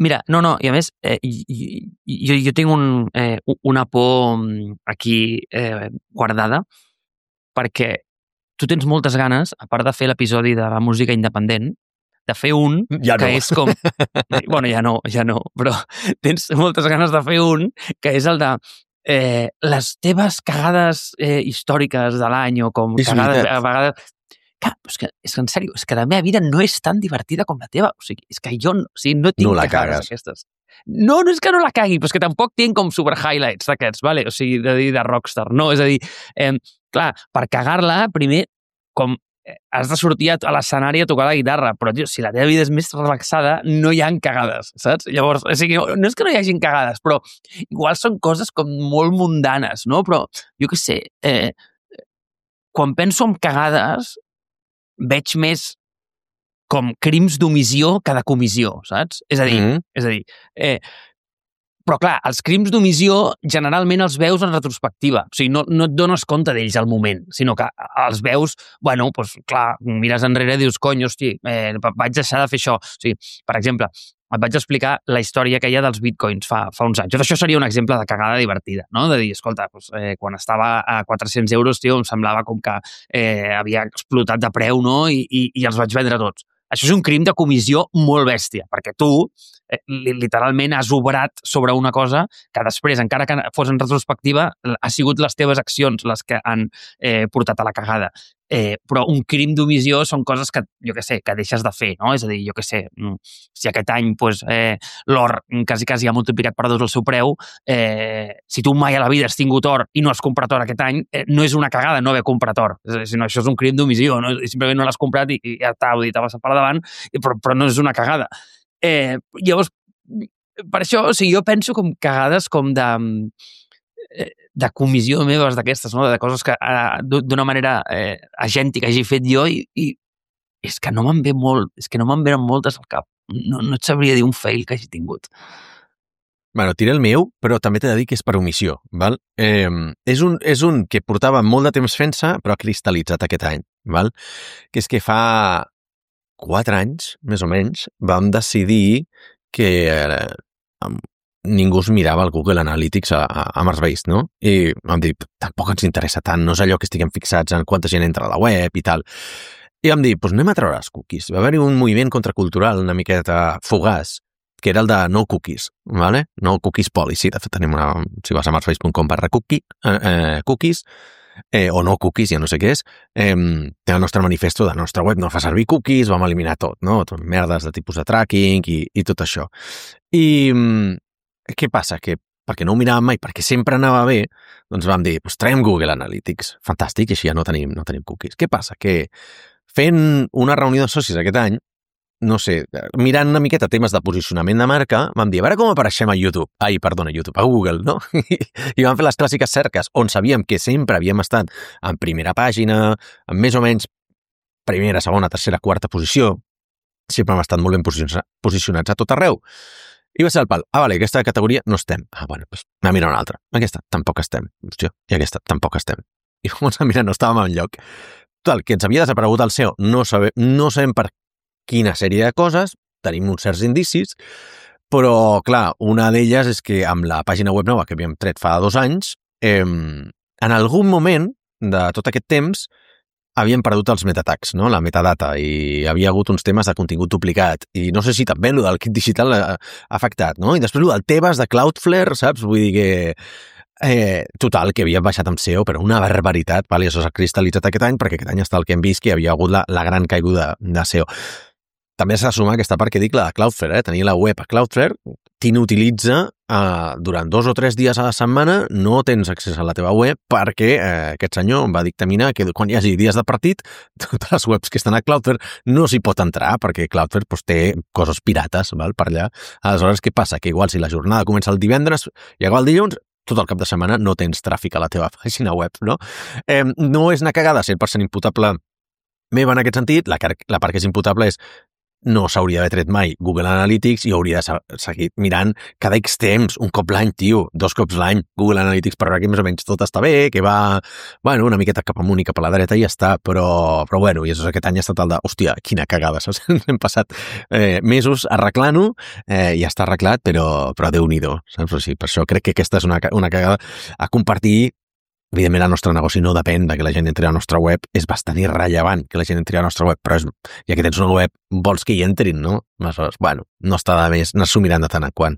Mira, no, i a més, jo tinc una por aquí guardada, perquè tu tens moltes ganes, a part de fer l'episodi de la música independent, de fer un que és com... Bueno, ja no, però tens moltes ganes de fer un que és el de les teves cagades històriques de l'any o com cagades a vegades... És que en sèrio, és que la meva vida no és tan divertida com la teva. O sigui, és que jo no tinc cagades aquestes. No és que no la cagui, però és que tampoc tinc com super highlights d'aquests, vale? O sigui, de rockstar, no? És a dir, clar, per cagar-la, primer, com has de sortir a l'escenari a tocar la guitarra, però, tio, si la teva vida és més relaxada, no hi ha cagades, saps? Llavors, o sigui, no és que no hi hagin cagades, però igual són coses com molt mundanes, no? Però, jo què sé, quan penso en cagades, veig més com crims d'omissió que de comissió, saps? És a dir, però clar, els crims d'omissió generalment els veus en retrospectiva, o sigui, no et dones compte d'ells al moment, sinó que els veus, bueno, doncs clar, mires enrere i dius, cony, hosti, vaig deixar de fer això. O sigui, per exemple, et vaig explicar la història que hi ha dels bitcoins fa uns anys. Això seria un exemple de cagada divertida, no? De dir, escolta, doncs, quan estava a 400 euros, tio, em semblava com que havia explotat de preu, no? I els vaig vendre tots. Això és un crim de comissió molt bèstia, perquè tu literalment has obrat sobre una cosa que després, encara que fos en retrospectiva, ha sigut les teves accions les que han portat a la cagada. Però un crim d'omissió són coses que, jo què sé, que deixes de fer, no? És a dir, jo què sé, si aquest any l'or quasi ha multiplicat per 2 el seu preu, si tu mai a la vida has tingut or i no has comprat or aquest any, no és una cagada no haver comprat or, sinó això és un crim d'omissió, no? Simplement no l'has comprat i ja t'ha passat per davant, però no és una cagada. Llavors, per això, o sigui, jo penso com cagades com de comissió meves d'aquestes, no? De coses que d'una manera agèntica hagi fet jo i és que no me'n ve molt, és que no me'n venen moltes al cap. No et sabria dir un fail que hagi tingut. Bueno, diré el meu, però també t'he de dir que és per omissió, val? És un que portava molt de temps fent-se, però ha cristal·litzat aquest any, val? Que és que fa 4 anys, més o menys, vam decidir que ningú es mirava el Google Analytics a Mars-Based, no? I vam dir, tampoc ens interessa tant, no és allò que estiguem fixats en quanta gent entra a la web i tal. I vam dir, doncs anem a treure els cookies. Va haver-hi un moviment contracultural una miqueta fugaç, que era el de no cookies, ¿vale? No cookies policy. De fet, tenim si vas a marsbase.com/cookies, o no cookies, ja no sé què és, té el nostre manifesto de la nostra web, no fa servir cookies, vam eliminar tot, no? Tot merdes de tipus de tracking i tot això. I què passa? Que perquè no ho miràvem mai, perquè sempre anava bé, doncs vam dir, doncs traiem Google Analytics. Fantàstic, així ja no tenim cookies. Què passa? Que fent una reunió de socis aquest any, no sé, mirant una miqueta temes de posicionament de marca, vam dir, a veure com apareixem a YouTube. A Google, no? I vam fer les clàssiques cerques, on sabíem que sempre havíem estat en primera pàgina, en més o menys primera, segona, tercera, quarta posició. Sempre hem estat molt ben posicionats a tot arreu. I va ser el pal. Vale, aquesta categoria no estem. Bueno, doncs anem a mirar una altra. Aquesta tampoc estem. Hòstia, i aquesta tampoc estem. I vam mirar, no estàvem enlloc. Total, que ens havia desaparegut el SEO. No sabem per quina sèrie de coses, tenim uns certs indicis, però, clar, una d'elles és que amb la pàgina web nova que havíem tret fa 2 anys, en algun moment de tot aquest temps havien perdut els metatags, no? La metadata, i havia hagut uns temes de contingut duplicat. I no sé si també el del kit digital ha afectat, no? I després el del Tebas, de Cloudflare, saps? Vull dir que... total, que havia baixat amb SEO, però una barbaritat, i això s'ha cristal·litzat aquest any, perquè aquest any està el que hem vist, que hi havia hagut la gran caiguda de SEO. També s'ha de sumar aquesta part que dic, la de Cloudflare, tenir la web a Cloudflare, t'inutilitza durant 2 o 3 dies a la setmana, no tens accés a la teva web perquè aquest senyor va dictaminar que quan hi hagi dies de partit, totes les webs que estan a Cloudflare no s'hi pot entrar perquè Cloudflare té coses pirates per allà. Aleshores, què passa? Que igual si la jornada comença el divendres i acaba el dilluns, tot el cap de setmana no tens tràfic a la teva pàgina web, no? No és una cagada 100% imputable meva en aquest sentit, la part que és imputable és no s'hauria d'haver tret mai Google Analytics i hauria de seguir mirant cada X temps, un cop l'any, tio, 2 cops l'any, Google Analytics per veure que més o menys tot està bé, que va, bueno, una miqueta cap amunt i cap a la dreta i ja està, però bueno, i aquest any ha estat el de, hòstia, quina cagada, saps? Hem passat mesos arreglant-ho, ja està arreglat, però Déu-n'hi-do, saps? O sigui, per això crec que aquesta és una cagada a compartir. Evidentment, el nostre negoci no depèn de que la gent entri a la nostra web, és bastant irrellevant que la gent entri a la nostra web, però ja que tens una web, vols que hi entrin, no? Aleshores, bueno, no està de més anar-s'ho mirant de tant en quant.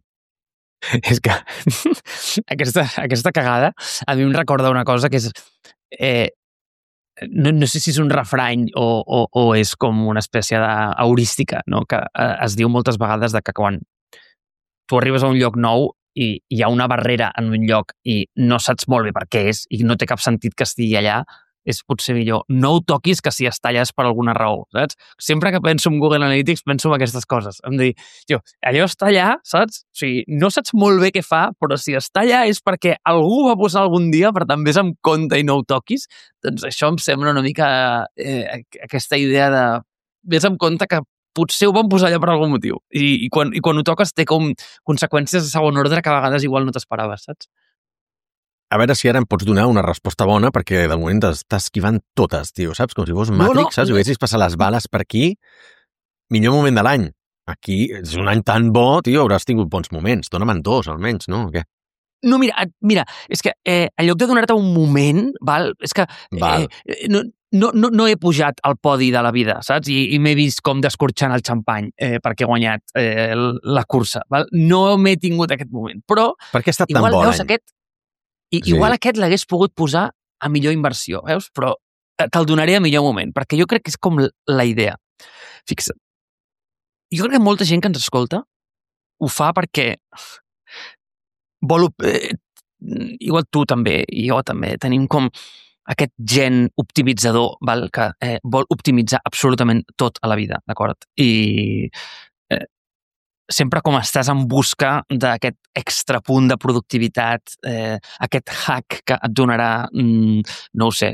És que aquesta cagada a mi em recorda una cosa que és... no sé si és un refrany o és com una espècie d'heurística, no? Que es diu moltes vegades de que quan tu arribes a un lloc nou i hi ha una barrera en un lloc i no saps molt bé per què és i no té cap sentit que estigui allà, és potser millor. No ho toquis que si està allà és per alguna raó, saps? Sempre que penso en Google Analytics penso en aquestes coses. Em dir, allò està allà, saps? O sigui, no saps molt bé què fa, però si està allà és perquè algú va posar algun dia, per tant, vés amb compte i no ho toquis. Doncs això em sembla una mica aquesta idea de vés amb compte que potser ho van posar allà per algun motiu. I quan ho toques té com conseqüències de segon ordre que a vegades igual no t'esperaves, saps? A veure si ara em pots donar una resposta bona, perquè de moment t'estàs esquivant totes, tio, saps? Com si fos Matrix, saps? Si haguessis passat les bales per aquí, millor moment de l'any. Aquí és un any tan bo, tio, hauràs tingut bons moments. Dóna'm 2, almenys, no? O què? No, mira, és que en lloc de donar-te un moment, és que no he pujat al podi de la vida, saps? I m'he vist com descorxant el xampany perquè he guanyat la cursa. Val? No m'he tingut aquest moment, però... Per què ha estat tan bo l'any? Igual aquest l'hagués pogut posar a millor inversió, veus? Però te'l donaré a millor moment, perquè jo crec que és com la idea. Fixa't. Jo crec que molta gent que ens escolta ho fa perquè vol... igual tu també, i jo també, tenim com aquest gen optimitzador, val? Que vol optimitzar absolutament tot a la vida, d'acord? I sempre com estàs en busca d'aquest extra punt de productivitat, aquest hack que et donarà, no ho sé,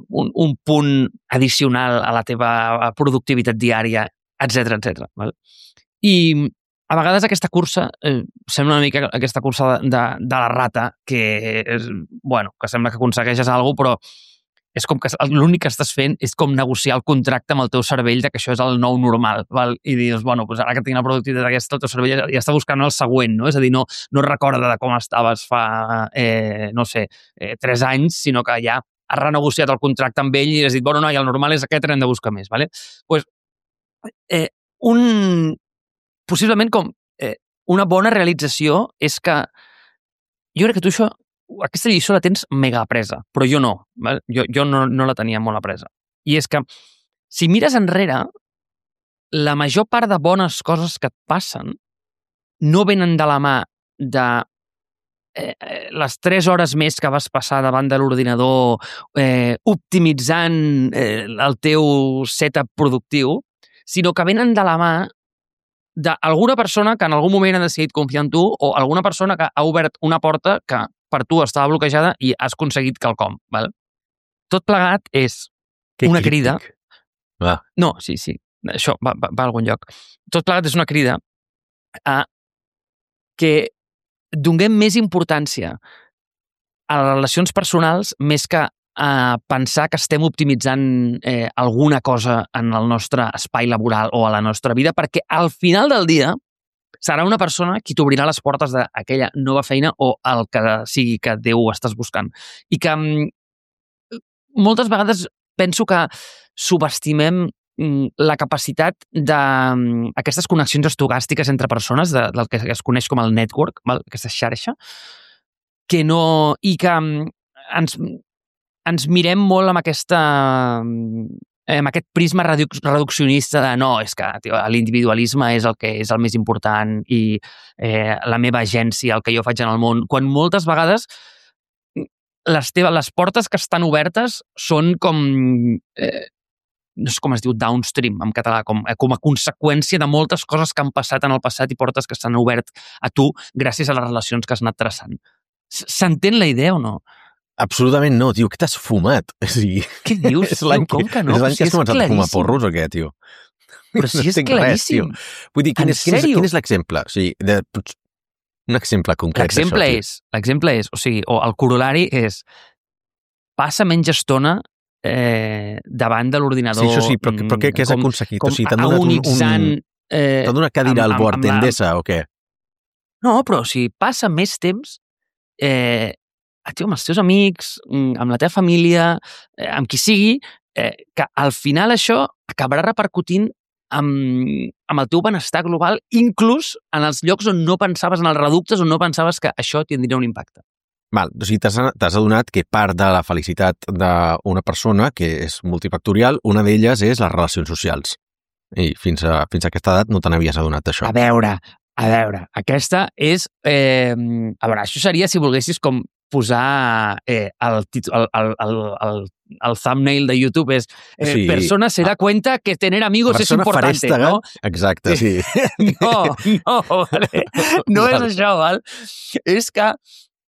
un punt addicional a la teva productivitat diària, etc. Val? I a vegades aquesta cursa sembla una mica aquesta cursa de la rata, que sembla que aconsegueixes alguna cosa, però és com que l'únic que estàs fent és com negociar el contracte amb el teu cervell de que això és el nou normal, val? I dius, doncs ara que tinc la productivitat aquesta, el teu cervell ja està buscant el següent, no? És a dir, no recorda de com estaves fa, 3 anys, sinó que ja has renegociat el contracte amb ell i has dit, no, i el normal és aquest, hem de buscar més, vale? Pues, possiblement com una bona realització és que jo crec que tu aquesta lliçó la tens mega apresa, però jo no. Val? Jo no la tenia molt apresa. I és que, si mires enrere, la major part de bones coses que et passen no venen de la mà de les 3 hores més que vas passar davant de l'ordinador optimitzant el teu setup productiu, sinó que venen de la mà d'alguna persona que en algun moment ha decidit confiar en tu o alguna persona que ha obert una porta que per tu estava bloquejada i has aconseguit quelcom. Val? Tot plegat és una crida... No, sí, això va a algun lloc. Tot plegat és una crida a que donem més importància a les relacions personals més que a pensar que estem optimitzant alguna cosa en el nostre espai laboral o a la nostra vida, perquè al final del dia serà una persona qui t'obrirà les portes d'aquella nova feina o el que sigui que Déu estàs buscant. I que moltes vegades penso que subestimem la capacitat d'aquestes connexions estocàstiques entre persones, del que es coneix com el network, aquesta xarxa, que no... i que ens mirem molt amb amb aquest prisma reduccionista de no, és que l'individualisme és el que és el més important i la meva agència, el que jo faig en el món, quan moltes vegades les portes que estan obertes són com... no sé com es diu, downstream en català, com a conseqüència de moltes coses que han passat en el passat i portes que s'han obert a tu gràcies a les relacions que has anat traçant. S'entén la idea o no? Absolutament no, tio, que t'has fumat? O sigui, què dius? Com que no? És l'any que has començat a fumar porros o què, tio? Però si és claríssim. Vull dir, quin és l'exemple? O sigui, un exemple concret d'això. L'exemple és, o sigui, o el corolari és passa menys estona davant de l'ordinador. Sí, això sí, però què has aconseguit? O sigui, t'han donat una cadira al bord d'Endesa o què? No, però o sigui, passa més temps amb els teus amics, amb la teva família, amb qui sigui, que al final això acabarà repercutint amb el teu benestar global, inclús en els llocs on no pensaves, en els reductes on no pensaves que això tindria un impacte. Val, o sigui, t'has adonat que part de la felicitat d'una persona, que és multifactorial, una d'elles és les relacions socials. I fins a aquesta edat no te n'havies adonat d'això. A veure, aquesta és... això seria si volguessis com posar el thumbnail de YouTube és persona se da cuenta que tener amigos es importante, ¿no? Exacte, sí. No, vale? No és això, val? És que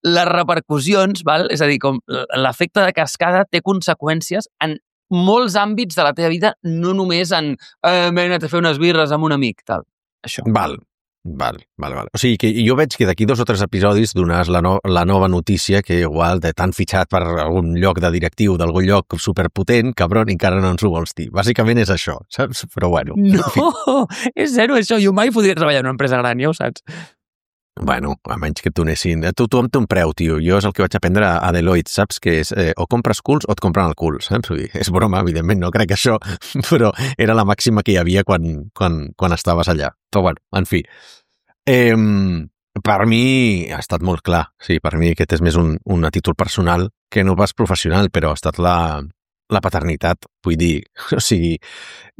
les repercussions, val? És a dir, com l'efecte de cascada té conseqüències en molts àmbits de la teva vida, no només en m'he anat a fer unes birres amb un amic, tal. Això. Val. O sigui, que jo veig que d'aquí 2 o 3 episodis donaràs la nova notícia que igual t'han fitxat per algun lloc de directiu d'algun lloc superpotent, cabron, i encara no ens ho vols dir. Bàsicament és això, saps? Però bueno. No, és zero això. Jo mai podria treballar en una empresa gran, ja ho saps. Bueno, a menys que et donessin... Tothom té un preu, tio. Jo és el que vaig aprendre a Deloitte, saps? Que és o compres culs o et compren el cul, saps? És broma, evidentment, no crec això, però era la màxima que hi havia quan estaves allà. Però bueno, en fi. Per mi ha estat molt clar. Sí, per mi aquest és més un títol personal que no pas professional, però ha estat la paternitat, vull dir, o sigui,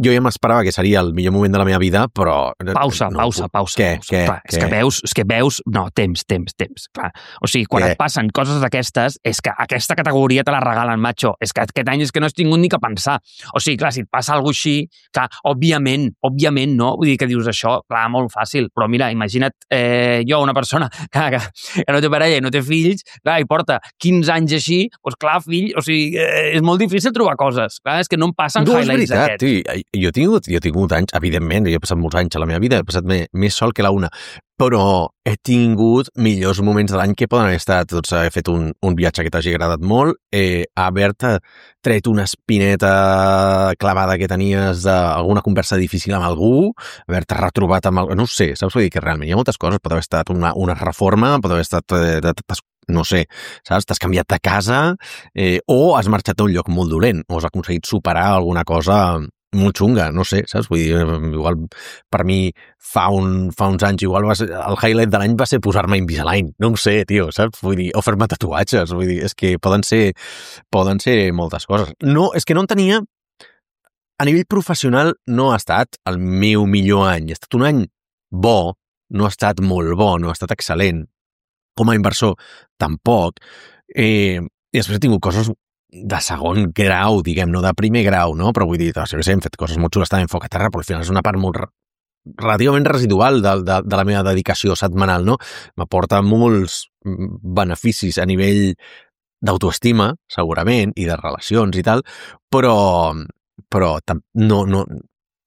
jo ja m'esperava que seria el millor moment de la meva vida, però... Pausa. Què? És que veus... No, temps. Clar. O sigui, quan et passen coses d'aquestes, és que aquesta categoria te la regalen, macho. És que aquest any és que no has tingut ni que pensar. O sigui, clar, si et passa alguna cosa així, clar, òbviament, no? Vull dir que dius això, clar, molt fàcil. Però mira, imagina't jo, una persona que no té parella i no té fills, clar, i porta 15 anys així, doncs clar, fill, o sigui, és molt difícil trobar coses. Clar, és que no em passen highlights d'aquests. Jo he tingut anys, evidentment, jo he passat molts anys a la meva vida, he passat més sol que la una, però he tingut millors moments de l'any que poden haver estat, doncs, haver fet un viatge que t'hagi agradat molt, haver-te tret una espineta clavada que tenies d'alguna conversa difícil amb algú, haver-te retrobat amb algú, no ho sé, saps? Vull dir que realment hi ha moltes coses, pot haver estat una reforma, pot haver estat, no sé, saps? T'has canviat de casa o has marxat a un lloc molt dolent o has aconseguit superar alguna cosa molt xunga, no sé, saps? Vull dir, igual per mi fa uns anys, igual el highlight de l'any va ser posar-me Invisalign, no ho sé, tio, saps? Vull dir, o fer-me tatuatges, vull dir, és que poden ser moltes coses. No, és que no en tenia, a nivell professional no ha estat el meu millor any, ha estat un any bo, no ha estat molt bo, no ha estat excel·lent, com a inversor tampoc, i després he tingut coses de segon grau, diguem, no de primer grau, no? Però vull dir, hem fet coses molt xules també en foc a terra, però al final és una part molt relativament residual de la meva dedicació setmanal, no? M'aporta molts beneficis a nivell d'autoestima, segurament, i de relacions i tal, però no,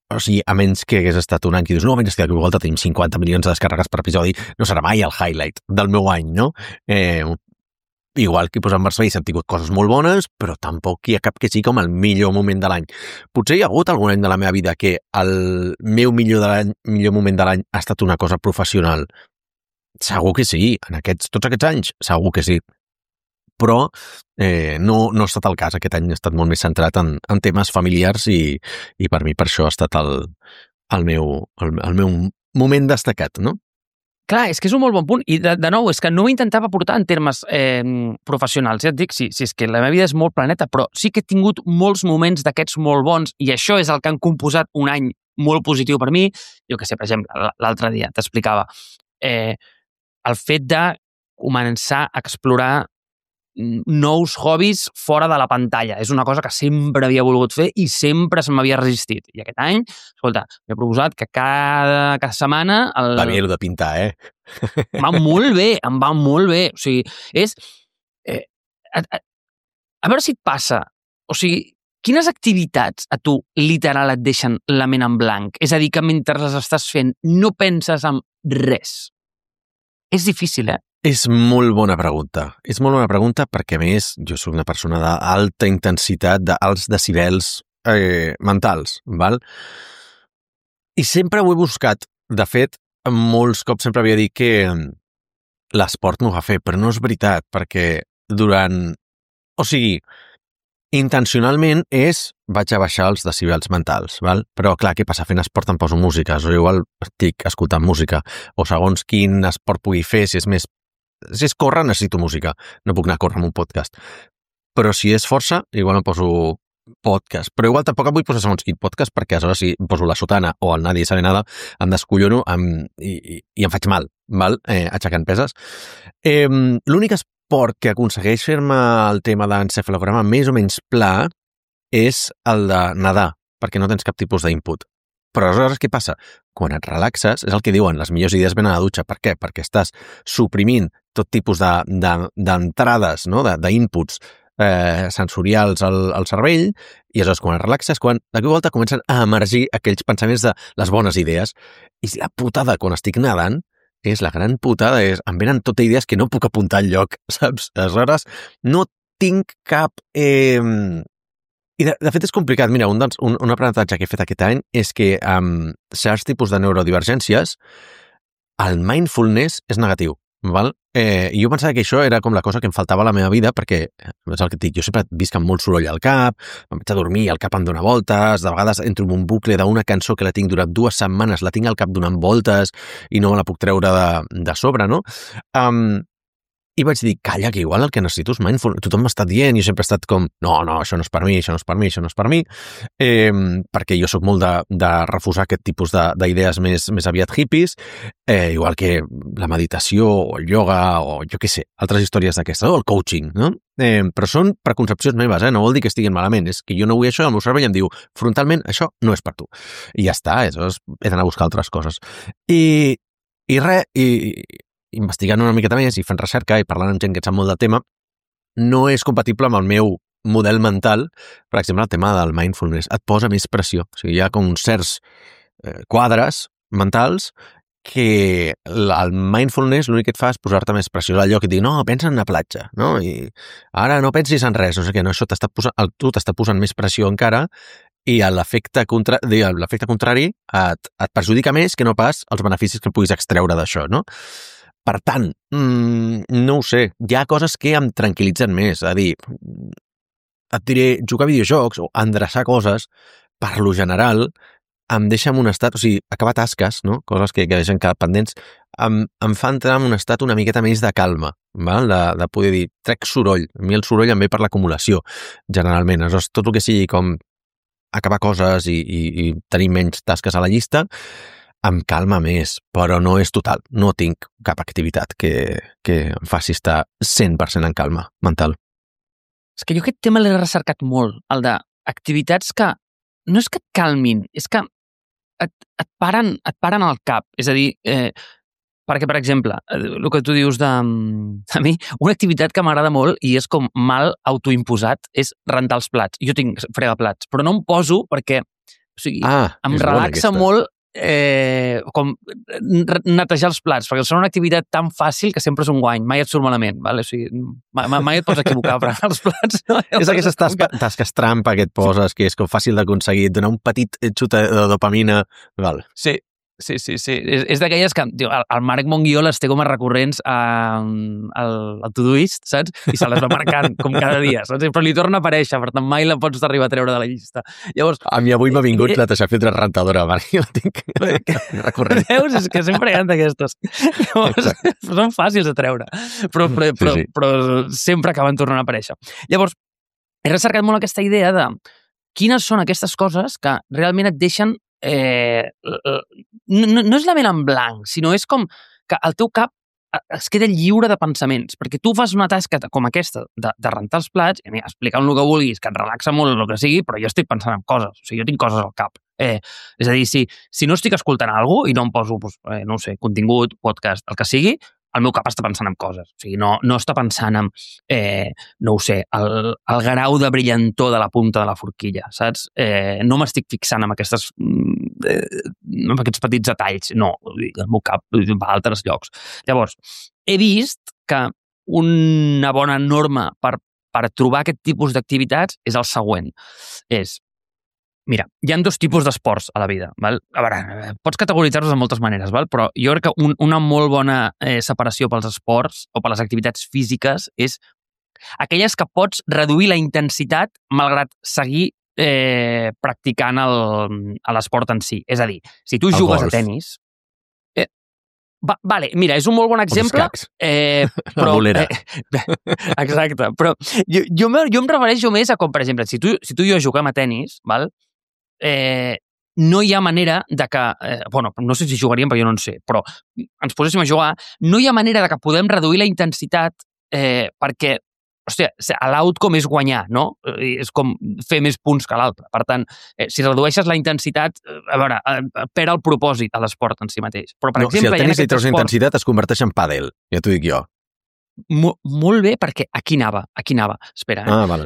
o sigui, a menys que hagués estat un any que dius, no, menys que a volta tenim 50 milions de descàrregues per episodi, no serà mai el highlight del meu any, no? Igual que en Barcelona hem tingut coses molt bones, però tampoc hi ha cap que sigui com el millor moment de l'any. Potser hi ha hagut algun any de la meva vida que el meu millor moment de l'any ha estat una cosa professional. Segur que sí, en tots aquests anys, segur que sí. però no ha estat el cas. Aquest any he estat molt més centrat en temes familiars i per mi per això ha estat el meu moment destacat, no? Clar, és que és un molt bon punt. I, de nou, és que no ho intentava portar en termes professionals. Ja et dic, sí, és que la meva vida és molt planeta, però sí que he tingut molts moments d'aquests molt bons i això és el que han composat un any molt positiu per mi. Jo que sé, per exemple, l'altre dia t'explicava el fet de començar a explorar nous hobbies fora de la pantalla. És una cosa que sempre havia volgut fer i sempre se m'havia resistit. I aquest any, escolta, m'he proposat que cada setmana... Va bé, el de pintar, Em va molt bé, em va molt bé. O sigui, és... a veure si et passa. O sigui, quines activitats a tu literal et deixen la ment en blanc? És a dir, que mentre les estàs fent no penses en res. És difícil, És molt bona pregunta. És molt bona pregunta perquè, a més, jo soc una persona d'alta intensitat, d'alts decibels mentals, val? I sempre ho he buscat. De fet, molts cops sempre havia dit que l'esport m'ho va fer, però no és veritat, perquè durant... O sigui, intencionalment vaig a baixar els decibels mentals, val? Però clar, què passa? Fent esport em poso música, o igual estic escoltant música, o segons quin esport pugui fer, si és córrer necessito música, no puc anar a córrer amb un podcast. Però si és força, igual em poso podcast, però igual tampoc em vull posar segons quin podcast, perquè aleshores si em poso la sotana o el Nadie sabe nada, em descollono i em faig mal, val? Aixecant peses. L'únic esport que aconsegueix fer-me el tema d'encefalograma més o menys pla és el de nedar, perquè no tens cap tipus d'input. Però aleshores què passa? Quan et relaxes, és el que diuen, les millors idees venen a la dutxa. Per què? Perquè estàs suprimint tot tipus d'entrades, no? d'inputs sensorials al cervell, i aleshores quan et relaxes, quan de cop volta comencen a emergir aquells pensaments de les bones idees. I la putada quan estic nedant és la gran putada, em venen tot idees que no puc apuntar enlloc, saps? Aleshores no tinc cap... I de fet és complicat. Mira, un aprenentatge que he fet aquest any és que amb certs tipus de neurodivergències el mindfulness és negatiu, val? I jo pensava que això era com la cosa que em faltava a la meva vida, perquè és el que et dic, jo sempre visc amb molt soroll al cap, em vaig a dormir i el cap em dona voltes, de vegades entro en un bucle d'una cançó que la tinc durant 2 setmanes, la tinc al cap donant voltes i no me la puc treure de sobre, no? I vaig dir, calla, que igual el que necessito és mindful. Tothom m'ha estat dient, jo sempre he estat com, no, això no és per mi, això no és per mi, això no és per mi, perquè jo sóc molt de refusar aquest tipus d'idees més aviat hippies, igual que la meditació, o el yoga, o jo què sé, altres històries d'aquestes, o el coaching, no? Però són preconcepcions meves, no vol dir que estiguin malament, és que jo no vull això, el meu cervell em diu, frontalment, això no és per tu. I ja està, aleshores he d'anar a buscar altres coses. I investigant una miqueta més i fent recerca i parlant amb gent que sap molt del tema, no és compatible amb el meu model mental. Per exemple, el tema del mindfulness et posa més pressió. O sigui, hi ha com uns certs quadres mentals que el mindfulness l'únic que et fa és posar-te més pressió. És allò que et dic, no, pensa en una platja, no? I ara no pensis en res, no sé què, no, això tu t'està posant més pressió encara i l'efecte contrari et perjudica més que no pas els beneficis que puguis extreure d'això, no? Per tant, no ho sé, hi ha coses que em tranquil·litzen més, és a dir, et diré, jugar a videojocs o endreçar coses, per lo general, em deixa en un estat, o sigui, acabar tasques, no? Coses que deixen quedar pendents, em fa entrar en un estat una miqueta més de calma, val? De poder dir, trec soroll, a mi el soroll em ve per l'acumulació, generalment, aleshores tot el que sigui com acabar coses i tenir menys tasques a la llista, em calma més, però no és total. No tinc cap activitat que em faci estar 100% en calma mental. És que jo aquest tema l'he recercat molt, el d'activitats que no és que et calmin, és que et paren al cap. És a dir, perquè, per exemple, el que tu dius a mi, una activitat que m'agrada molt i és com mal autoimposat és rentar els plats. Jo tinc fregaplats, però no em poso perquè o sigui, em relaxa molt com netejar els plats, perquè són una activitat tan fàcil que sempre és un guany, mai et surt malament, vale? O sigui, mai et pots equivocar per els plats. No? És aquestes tasques trampa que et poses, que és com fàcil d'aconseguir, donar un petit xut de dopamina, val. Sí, Sí. És d'aquelles que el Marc Monguió les té com a recurrents al Todoist, saps? I se les va marcant com cada dia, saps? Però li torna a aparèixer, per tant mai la pots arribar a treure de la llista. Llavors, a mi avui m'ha vingut la Tasha Filtre rentadora, jo la tinc recurrent. Veus? És que sempre hi ha d'aquestes. Són fàcils de treure, però sempre acaben tornant a aparèixer. Llavors, he recercat molt aquesta idea de quines són aquestes coses que realment et deixen no és la ment en blanc, sinó és com que el teu cap es queda lliure de pensaments, perquè tu fas una tasca com aquesta de rentar els plats, i explicant el que vulguis, que et relaxa molt el que sigui, però jo estic pensant en coses, o sigui, jo tinc coses al cap. És a dir, si no estic escoltant alguna cosa i no em poso, no ho sé, contingut, podcast, el que sigui, el meu cap està pensant en coses. O sigui, no està pensant en, no ho sé, el grau de brillantor de la punta de la forquilla, saps? No m'estic fixant en aquests petits detalls. No, el meu cap va a altres llocs. Llavors, he vist que una bona norma per trobar aquest tipus d'activitats és el següent. Mira, hi ha dos tipus d'esports a la vida. Val? A veure, pots categoritzar-los de moltes maneres, val? Però jo crec que una molt bona separació pels esports o per les activitats físiques és aquelles que pots reduir la intensitat malgrat seguir practicant l'esport en si. És a dir, si tu jugues a tenis... Vale, mira, és un molt bon exemple. La bolera. Exacte, però jo em refereixo més a com, per exemple, si tu i jo juguem a tenis, val? No hi ha manera de que... bueno, no sé si jugaríem, però jo no en sé, però ens poséssim a jugar, no hi ha manera de que podem reduir la intensitat perquè, hòstia, l'outcome és guanyar, no? És com fer més punts que l'altre. Per tant, si redueixes la intensitat, a veure, perd el propòsit a l'esport en si mateix. Però, per exemple, si el tenis li treus intensitat, es converteix en pàdel, ja t'ho dic jo. Molt bé, perquè aquí anava. Espera. Vale.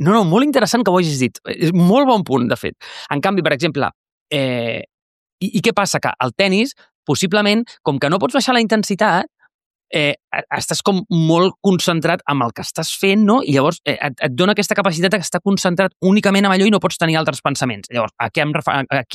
No, molt interessant que ho hagis dit. És molt bon punt, de fet. En canvi, per exemple, i què passa? Que el tenis, possiblement, com que no pots baixar la intensitat, estàs com molt concentrat amb el que estàs fent, no? I llavors et dona aquesta capacitat d'estar concentrat únicament en allò i no pots tenir altres pensaments. Llavors, a qui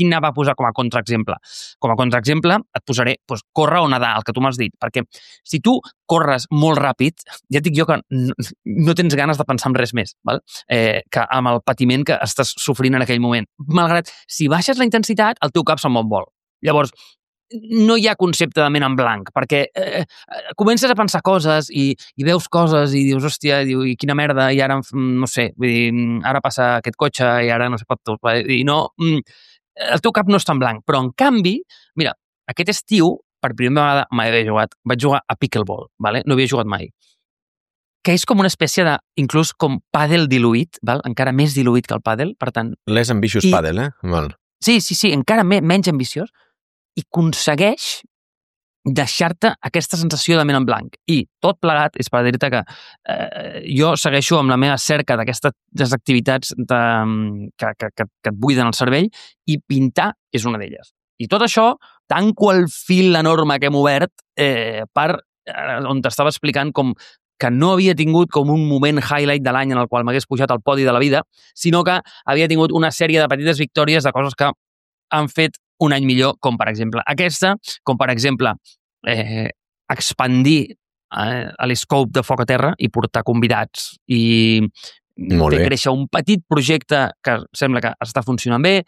anava a posar com a contraexemple? Com a contraexemple et posaré córrer o nedar, el que tu m'has dit, perquè si tu corres molt ràpid, ja et dic jo que no tens ganes de pensar en res més, val? Que amb el patiment que estàs sofrint en aquell moment. Malgrat, si baixes la intensitat, el teu cap se'n vol. Llavors, no hi ha concepte de ment en blanc, perquè comences a pensar coses i veus coses i dius, hòstia, i quina merda, i ara, no sé, vull dir, ara passa aquest cotxe i ara no sé pot tot. I no, el teu cap no està en blanc, però en canvi, mira, aquest estiu, per primera vegada vaig jugar a pickleball, vale? No havia jugat mai. Que és com una espècie de, inclús com pàdel diluït, val? Encara més diluït que el pàdel, per tant... Less ambitious pàdel, Val. Sí, encara menys ambiciós, i aconsegueix deixar-te aquesta sensació de ment en blanc. I tot plegat és per dir-te que jo segueixo amb la meva cerca d'aquestes activitats que et buiden el cervell, i pintar és una d'elles. I tot això, tanco el fil enorme que hem obert on t'estava explicant com que no havia tingut com un moment highlight de l'any en el qual m'hagués pujat al podi de la vida, sinó que havia tingut una sèrie de petites victòries de coses que han fet un any millor, com per exemple aquesta, com per exemple expandir l'escope de Foc a Terra i portar convidats i fer créixer un petit projecte que sembla que està funcionant bé,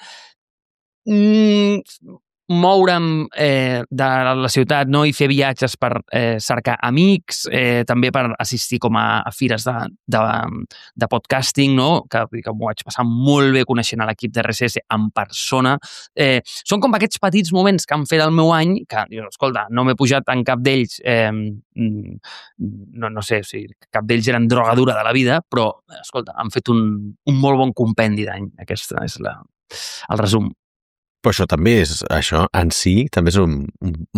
moure'm de la ciutat, no? I fer viatges per cercar amics, també per assistir com a fires de podcasting, no? Que m'ho vaig passar molt bé coneixent l'equip de RSS en persona. Són com aquests petits moments que han fet el meu any, que, escolta, no m'he pujat en cap d'ells, no sé si cap d'ells eren droga dura de la vida, però, escolta, han fet un molt bon compendi d'any. Aquest és el resum. Però això en si també és un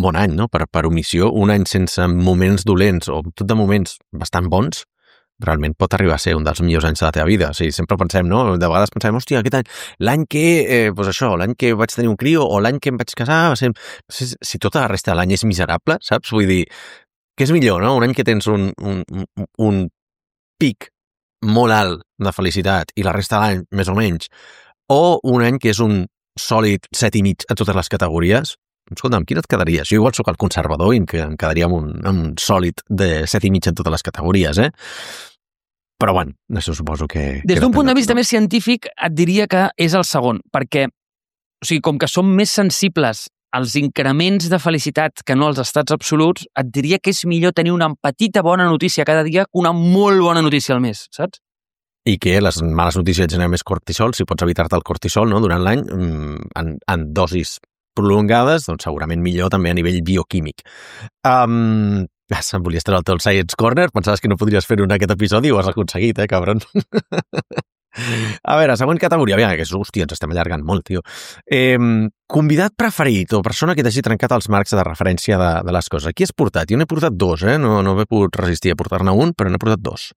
bon any, no? Per omissió, un any sense moments dolents o tot de moments bastant bons, realment pot arribar a ser un dels millors anys de la teva vida. O sigui, sempre pensem, no? De vegades pensem, hòstia, aquest any, l'any que, l'any que vaig tenir un crio o l'any que em vaig casar, si tota la resta de l'any és miserable, saps? Vull dir, què és millor, no? Un any que tens un pic molt alt de felicitat i la resta de l'any més o menys, o un any que és un sòlid 7,5 a totes les categories, escolta'm, quin et quedaries? Jo igual sóc el conservador i em quedaria amb un sòlid de 7,5 en totes les categories, Però, bueno, això suposo que... Des d'un punt de vista més científic, et diria que és el segon, perquè, o sigui, com que som més sensibles als increments de felicitat que no als estats absoluts, et diria que és millor tenir una petita bona notícia cada dia que una molt bona notícia al mes, saps? I que les males notícies generen més cortisol, si pots evitar-te el cortisol, no?, durant l'any, en dosis prolongades, doncs segurament millor també a nivell bioquímic. Em volies treure el teu Science Corner? Pensaves que no podries fer-ho en aquest episodi i ho has aconseguit, cabron? A veure, següent categoria. Aviam, que hòstia, ens estem allargant molt, tio. Convidat preferit o persona que t'hagi trencat els marcs de referència de les coses. Aquí has portat? Jo n'he portat 2, No m'he pogut resistir a portar-ne un, però n'he portat 2.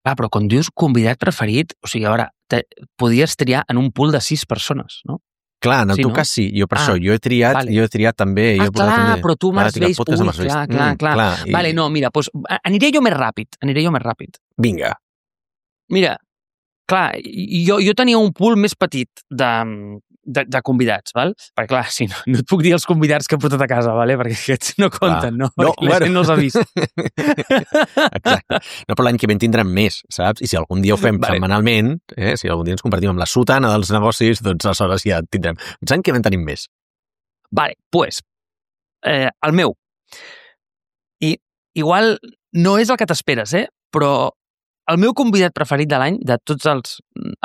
Però quan dius convidat preferit, o sigui, a veure, podies triar en un pool de 6 persones, no? Clar, en el teu cas sí, jo per això, jo he triat també... Clar, però tu m'has vist, clar. Vale, no, mira, doncs aniré jo més ràpid. Vinga. Mira, clar, jo tenia un pool més petit de convidats, val? Perquè, clar, sí, no et puc dir els convidats que he portat a casa, vale? Perquè aquests no compten, no? Perquè la gent no els ha vist. Exacte. No, però l'any que ve en tindrem més, saps? I si algun dia ho fem setmanalment, si algun dia ens convertim en la sotana dels negocis, doncs aleshores ja en tindrem. Doncs l'any que ve en tenim més. Vale, doncs, el meu. I igual no és el que t'esperes, però el meu convidat preferit de l'any, de tots els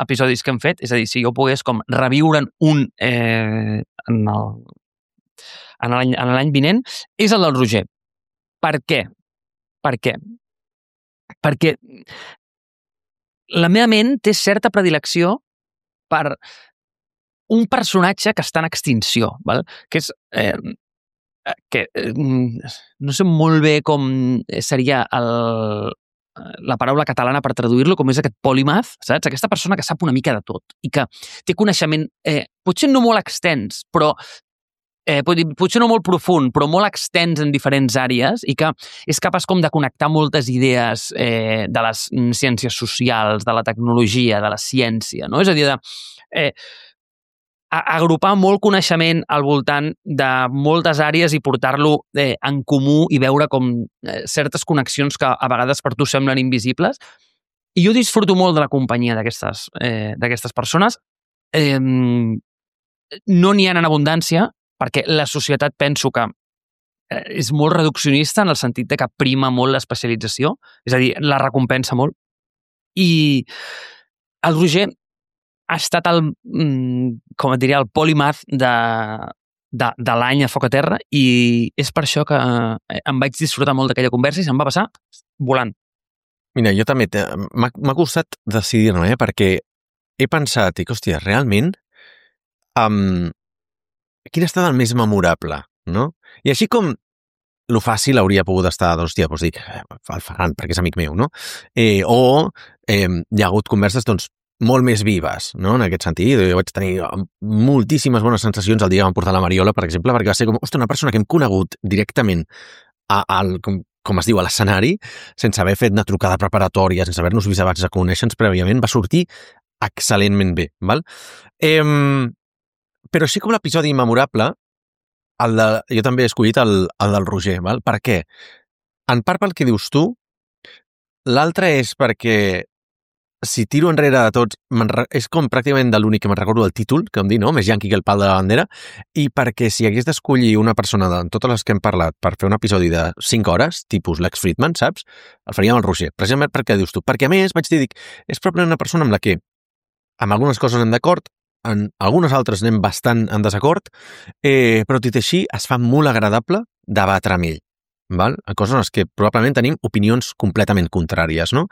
episodis que hem fet, és a dir, si jo pogués com reviure'n un en l'any vinent, és el del Roger. Per què? Perquè la meva ment té certa predilecció per un personatge que està en extinció, val? Que és... no sé molt bé com seria la paraula catalana per traduir-lo, com és aquest polymath, saps? Aquesta persona que sap una mica de tot i que té coneixement, potser no molt extens, però potser no molt profund, però molt extens en diferents àrees i que és capaç com de connectar moltes idees de les ciències socials, de la tecnologia, de la ciència, no? És a dir, agrupar molt coneixement al voltant de moltes àrees i portar-lo en comú i veure com certes connexions que a vegades per tu semblen invisibles. I jo disfruto molt de la companyia d'aquestes persones. No n'hi ha en abundància, perquè la societat penso que és molt reduccionista en el sentit de que prima molt l'especialització, és a dir, la recompensa molt. I el Roger ha estat el polymath de l'any a Foc a Terra i és per això que em vaig disfrutar molt d'aquella conversa i se'm va passar volant. Mira, jo també m'ha costat decidir-no, perquè he pensat, hòstia, realment quin ha estat el més memorable, no? I així com lo fàcil hauria pogut estar, hòstia, doncs dic, el Ferran, perquè és amic meu, no? Hi ha hagut converses, doncs, molt més vives, no? En aquest sentit. Jo vaig tenir moltíssimes bones sensacions el dia que vam portar la Mariola, per exemple, perquè va ser com, una persona que hem conegut directament com es diu, a l'escenari, sense haver fet una trucada preparatòria, sense haver-nos vist abans de conèixer-nos prèviament, va sortir excel·lentment bé, val? Però així com l'episodi memorable, jo també he escollit el del Roger, val? Per què? En part pel que dius tu, l'altre és perquè si tiro enrere de tots, és com pràcticament de l'únic que me'n recordo del títol, que em dic, no? Més yanqui que el pal de la bandera, i perquè si hagués d'escollir una persona de totes les que hem parlat per fer un episodi de 5 hores, tipus Lex Fridman, saps? El faríem el Roger. Precisament perquè dius tu. Perquè, a més, vaig dir, és probablement una persona amb la que amb algunes coses anem d'acord, en algunes altres anem bastant en desacord, però dit així, es fa molt agradable debatre amb ell, val? A coses en les que probablement tenim opinions completament contràries, no?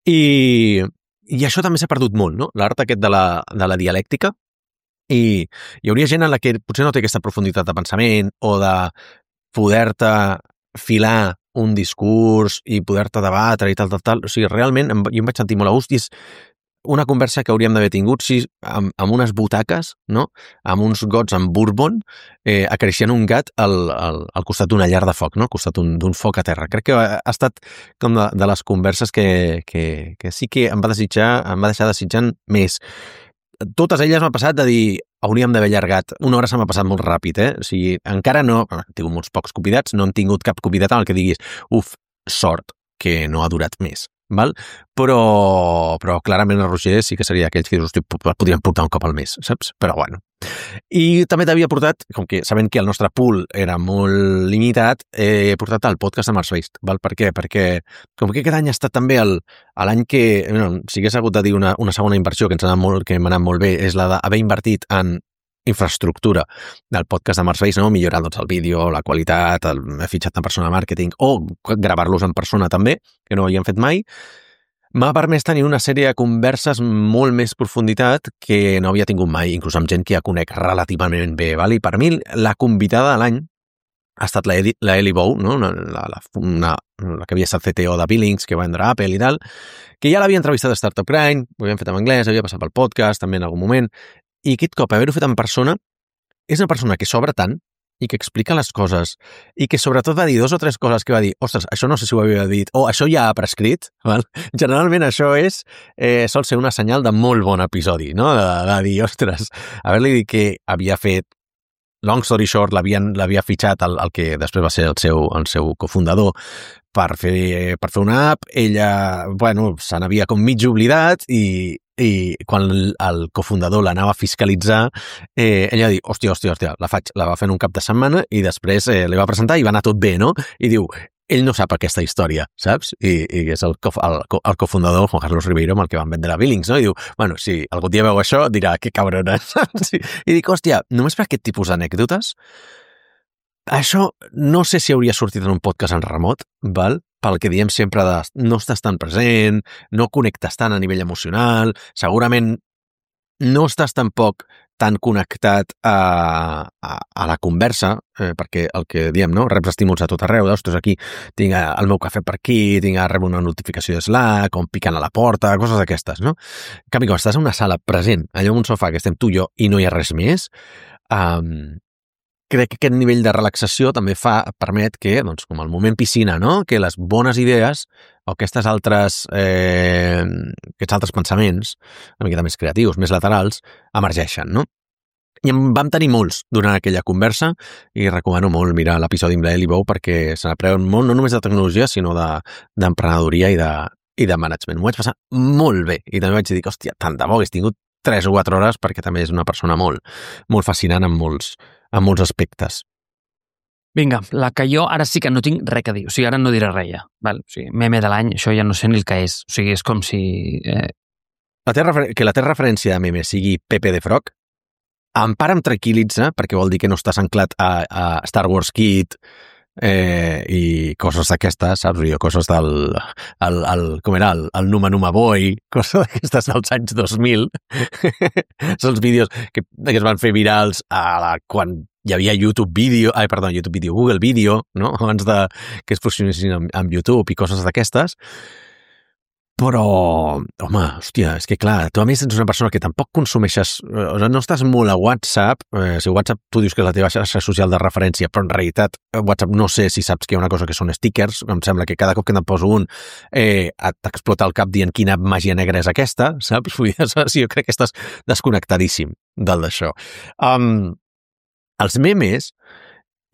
I això també s'ha perdut molt, no? L'art aquest de la dialèctica. I hi hauria gent en la que potser no té aquesta profunditat de pensament o de poder-te filar un discurs i poder-te debatre i tal. O sigui, realment jo em vaig sentir molt a gust i és una conversa que hauríem d'haver tingut amb unes butaques, no? Amb uns gots amb bourbon, acariciant un gat al costat d'una llar de foc, no? Al costat d'un foc a terra. Crec que ha estat com de les converses que sí que em va deixar desitjant més. Totes elles m'ha passat de dir, hauríem d'haver allargat. Una hora se m'ha passat molt ràpid, O sigui, encara no... He tingut molts pocs convidats, no hem tingut cap convidat en el que diguis sort que no ha durat més, val? Però clarament el Roger sí que seria aquells que dius, podríem portar un cop al mes, saps? Però bueno. I també t'havia portat, com que sabent que el nostre pool era molt limitat, he portat el podcast de Mars Based, val? Per què? Perquè com que aquest any ha estat també l'any que, si hagués hagut de dir una segona inversió que m'ha anat molt bé, és la d'haver invertit en infraestructura del podcast de Mars Based, no? Millorant doncs, el vídeo, la qualitat, he fitxat una persona de màrqueting o gravar-los en persona també, que no ho havíem fet mai. M'ha permès tenir una sèrie de converses molt més profunditat que no havia tingut mai, inclús amb gent que ja conec relativament bé. Val? I per mi la convidada de l'any ha estat la Ellie Bou, no? la que havia estat CTO de Billings, que va vendre Apple i tal, que ja l'havia entrevistat a Startup Grind, ho havíem fet en anglès, havia passat pel podcast també en algun moment, i aquest cop haver-ho fet en persona és una persona que s'obre tant i que explica les coses i que sobretot va dir 2 o 3 coses que va dir, ostres, això no sé si ho havia dit, o això ja ha prescrit, val? Generalment això sol ser una senyal de molt bon episodi, no? De dir, ostres, haver-li dit que havia fet, long story short, l'havia fitxat el que després va ser el seu cofundador per fer una app, ella, se n'havia com mig oblidat i quan el cofundador l'anava a fiscalitzar, ella va dir, hòstia, la va fer en un cap de setmana i després li va presentar i va anar tot bé, no? I diu, ell no sap aquesta història, saps? I és el cofundador, Juan Carlos Ribeiro, amb el que van vendre a Billings, no? I diu, si algun dia veu això, dirà, que cabrona, saps? I dic, hòstia, només per aquest tipus d'anècdotes, això no sé si hauria sortit en un podcast en remot, val? Pel que diem sempre de no estàs tan present, no connectes tant a nivell emocional, segurament no estàs tampoc tan connectat a la conversa, perquè el que diem, no? Reps estímuls a tot arreu, ostres, aquí tinc el meu cafè per aquí, rebo una notificació de Slack, o em piquen a la porta, coses d'aquestes, no? En canvi, quan estàs en una sala present, allò en un sofà que estem tu i jo i no hi ha res més, crec que aquest nivell de relaxació també permet que, com el moment piscina, no? Que les bones idees o aquests altres pensaments, una miqueta més creatius, més laterals, emergeixen, no? I en vam tenir molts durant aquella conversa i recomano molt mirar l'episodi amb l'Ellie Bou perquè se n'aprèn molt, no només de tecnologia, sinó d'emprenedoria i de management. M'ho vaig passar molt bé i també vaig dir, hòstia, tant de bo hagués tingut 3 o 4 hores perquè també és una persona molt, molt fascinant en molts aspectes. Vinga, la que jo ara sí que no tinc res a dir. O sigui, ara no diré res ja. Val? O sigui, meme de l'any, això ja no sé ni el que és. O sigui, és com si... Que la teva referència de meme sigui Pepe the Frog, em tranquil·litza, perquè vol dir que no estàs anclat a Star Wars Kid i coses d'aquestes, saps? Coses del... com era? El Numa Numa Boy, coses d'aquestes dels anys 2000. Són els vídeos que es van fer virals quan hi havia YouTube Video, Google Video, no? Abans que es fusionessin amb YouTube i coses d'aquestes. Però, home, hòstia, és que clar, tu a més ets una persona que tampoc consumeixes, no estàs molt a WhatsApp, si WhatsApp tu dius que és la teva xarxa social de referència, però en realitat WhatsApp no sé si saps que hi ha una cosa que són stickers, em sembla que cada cop que te'n poso un t'explota el cap dient quina màgia negra és aquesta, saps? Jo crec que estàs desconnectadíssim d'això. Els memes,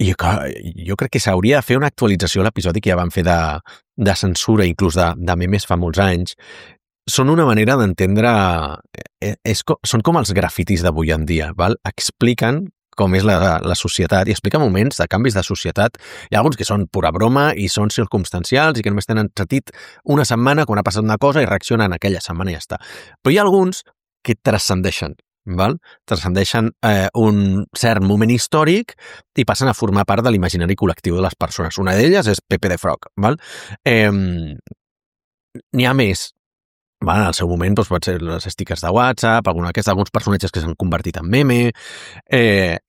jo crec que s'hauria de fer una actualització a l'episodi que ja vam fer de censura, inclús de memes fa molts anys. Són una manera d'entendre... Són com els grafitis d'avui en dia, val? Expliquen com és la societat i explica moments de canvis de societat. Hi ha alguns que són pura broma i són circumstancials i que només tenen sentit una setmana quan ha passat una cosa i reaccionen aquella setmana i ja està. Però hi ha alguns que transcendeixen. Val? Transcendeixen un cert moment històric i passen a formar part de l'imaginari col·lectiu de les persones. Una d'elles és Pepe the Frog. Val? N'hi ha més. Val? En el seu moment pot ser les stickers de WhatsApp, alguns personatges que s'han convertit en meme,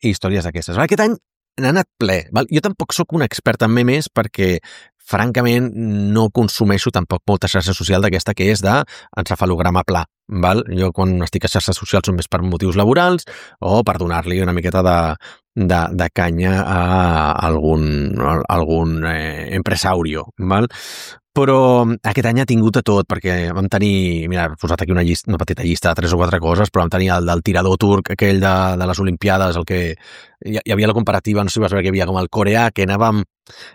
històries d'aquestes. Aquest any n'ha anat ple. Val? Jo tampoc sóc un expert en memes perquè francament no consumeixo tampoc molta xarxa social d'aquesta que és d'encefalograma pla. Val? Jo quan estic a xarxes socials són més per motius laborals o per donar-li una miqueta de canya a algun empresaurio. Val? Però aquest any ha tingut de tot, perquè vam tenir, mira, he posat aquí una petita llista de 3 o 4 coses, però vam tenir el del tirador turc, aquell de les Olimpiades, el que hi havia la comparativa, no sé si vas veure que hi havia com el coreà, que anava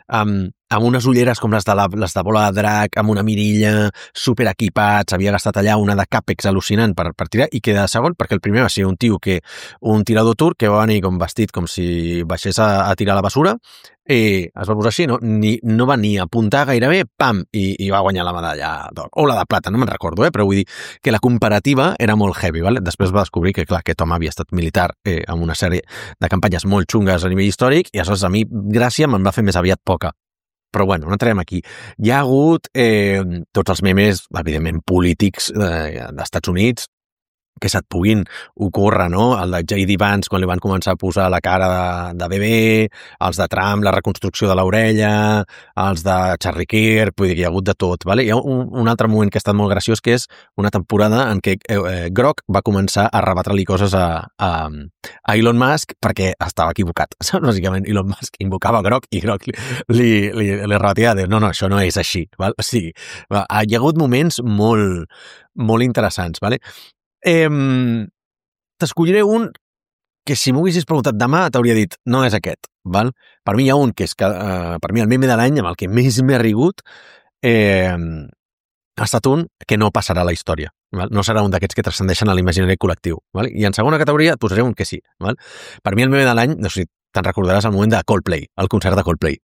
amb unes ulleres com les de bola de drac, amb una mirilla, super equipats, havia gastat allà una de càpex al·lucinant per tirar, i queda segon, perquè el primer va ser un tirador turc que va venir com vestit com si baixés a tirar a la basura, i es va posar així, no va ni apuntar gairebé, pam, i va guanyar la medalla d'or, o la de plata, no me'n recordo, però vull dir que la comparativa era molt heavy, ¿vale? Després va descobrir que, clar, aquest home havia estat militar amb una sèrie de campanyes molt xungues a nivell històric, i aleshores a mi Gràcia me'n va fer més aviat poca. Però bueno, no entrarem aquí. Hi ha hagut tots els memes, evidentment, polítics d'Estats Units, que se't puguin ocórrer, no? El de J.D. Vance, quan li van començar a posar la cara de bebè, els de Trump, la reconstrucció de l'orella, els de Charlie Kirk, vull dir que hi ha hagut de tot, ¿vale? Hi ha un altre moment que ha estat molt graciós, que és una temporada en què Grok va començar a rebatre-li coses a Elon Musk perquè estava equivocat. Bàsicament, Elon Musk invocava Grok i Grok li rebatia de no, això no és així, val? O sigui, hi ha hagut moments molt, molt interessants, ¿vale? T'escolliré un que si m'ho haguessis preguntat demà t'hauria dit, no és aquest, val? Per mi hi ha un que és per mi el meme de l'any amb el que més m'he rigut ha estat un que no passarà a la història, val? No serà un d'aquests que transcendeixen a l'imaginari col·lectiu, val? I en segona categoria et posaré un que sí, val? Per mi el meme de l'any, no sé si te'n recordaràs el moment de Coldplay, el concert de Coldplay.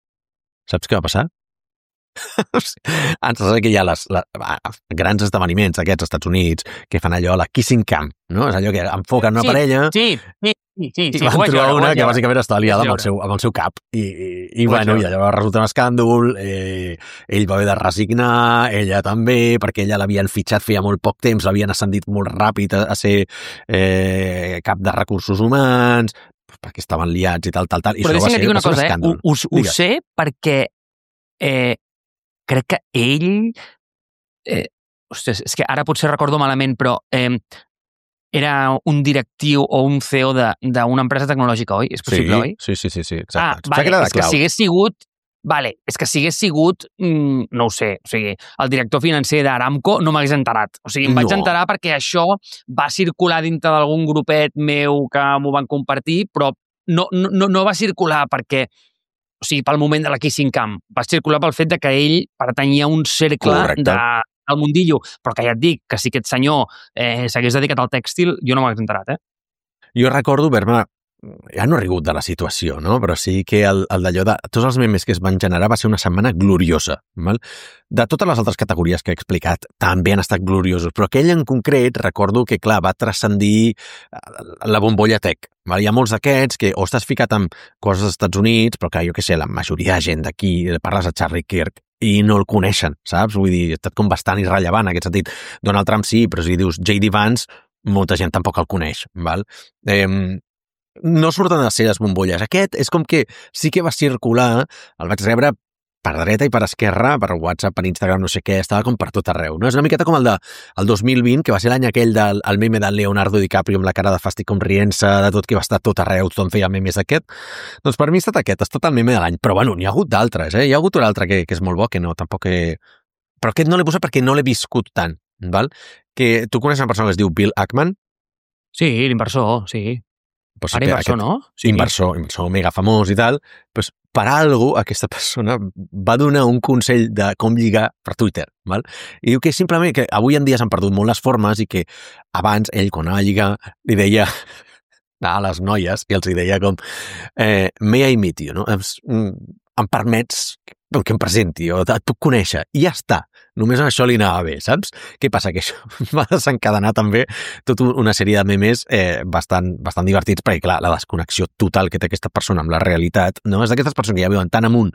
Saps què va passar? Ens sembla que hi ha grans esdeveniments aquests als Estats Units que fan allò, la kissing cam, no? És allò que enfoquen una parella i van trobar una que bàsicament està aliada amb el seu cap i bueno, i allò va resultar un escàndol, ell va haver de resignar, ella també, perquè ella l'havien fitxat feia molt poc temps, l'havien ascendit molt ràpid a ser cap de recursos humans, perquè estaven liats i tal, i però això va ser una cosa, un escàndol. Ho sé perquè crec que ell ostres, és que ara potser recordo malament, però era un directiu o un CEO d'una empresa tecnològica, oi? És possible, oi? Sí, exacte. Vale, és que si hagués sigut no ho sé, o sigui, el director financer d'Aramco no m'hagués enterat. O sigui, em vaig enterar perquè això va circular dintre d'algun grupet meu que m'ho van compartir, però no va circular perquè o sigui, pel moment de la Kissing Cam. Va circular pel fet de que ell pertanyia a un cercle del mundillo. Però que ja et dic, que si aquest senyor s'hagués dedicat al tèxtil, jo no m'hagués enterat, Jo recordo haver-me ja no he rigut de la situació, no? Però sí que el d'allò de tots els memes que es van generar va ser una setmana gloriosa, val? De totes les altres categories que he explicat també han estat gloriosos, però aquell en concret recordo que, clar, va transcendir la bombolla tech, val? Hi ha molts d'aquests que o estàs ficat amb coses dels Estats Units, però que jo què sé, la majoria de gent d'aquí, parles a Charlie Kirk i no el coneixen, saps? Vull dir, ha estat com bastant irrellevant en aquest sentit. Donald Trump sí, però si dius J.D. Vance, molta gent tampoc el coneix, val? No surten de ser les bombolles. Aquest és com que sí que va circular, el vaig rebre per dreta i per esquerra, per WhatsApp, per Instagram, no sé què, estava com per tot arreu, no? És una miqueta com el 2020, que va ser l'any aquell del meme de Leonardo DiCaprio amb la cara de fàstic com rient-se, de tot que va estar tot arreu, tothom feia memes d'aquest. Doncs per mi ha estat aquest, ha estat el meme de l'any. Però bueno, n'hi ha hagut d'altres, Hi ha hagut un altre que és molt bo, que no, tampoc Però aquest no l'he posat perquè no l'he viscut tant, val? Que tu coneixes una persona que es diu Bill Ackman? Sí, l'inversor, sí. Pues ara inversor, no? Sí. Inversor mega famós i tal, pues, per algo aquesta persona va donar un consell de com lligar per Twitter, val? I diu que simplement que avui en dia s'han perdut molt les formes i que abans ell, quan anava a lligar, li deia a les noies i els deia com may I meet you, no? Em permets que em presenti o et puc conèixer i ja està, només en això li anava bé, saps? Què passa? Que això va desencadenar també tota una sèrie de memes bastant divertits, perquè clar, la desconnexió total que té aquesta persona amb la realitat, no? És d'aquestes persones que ja viuen tan amunt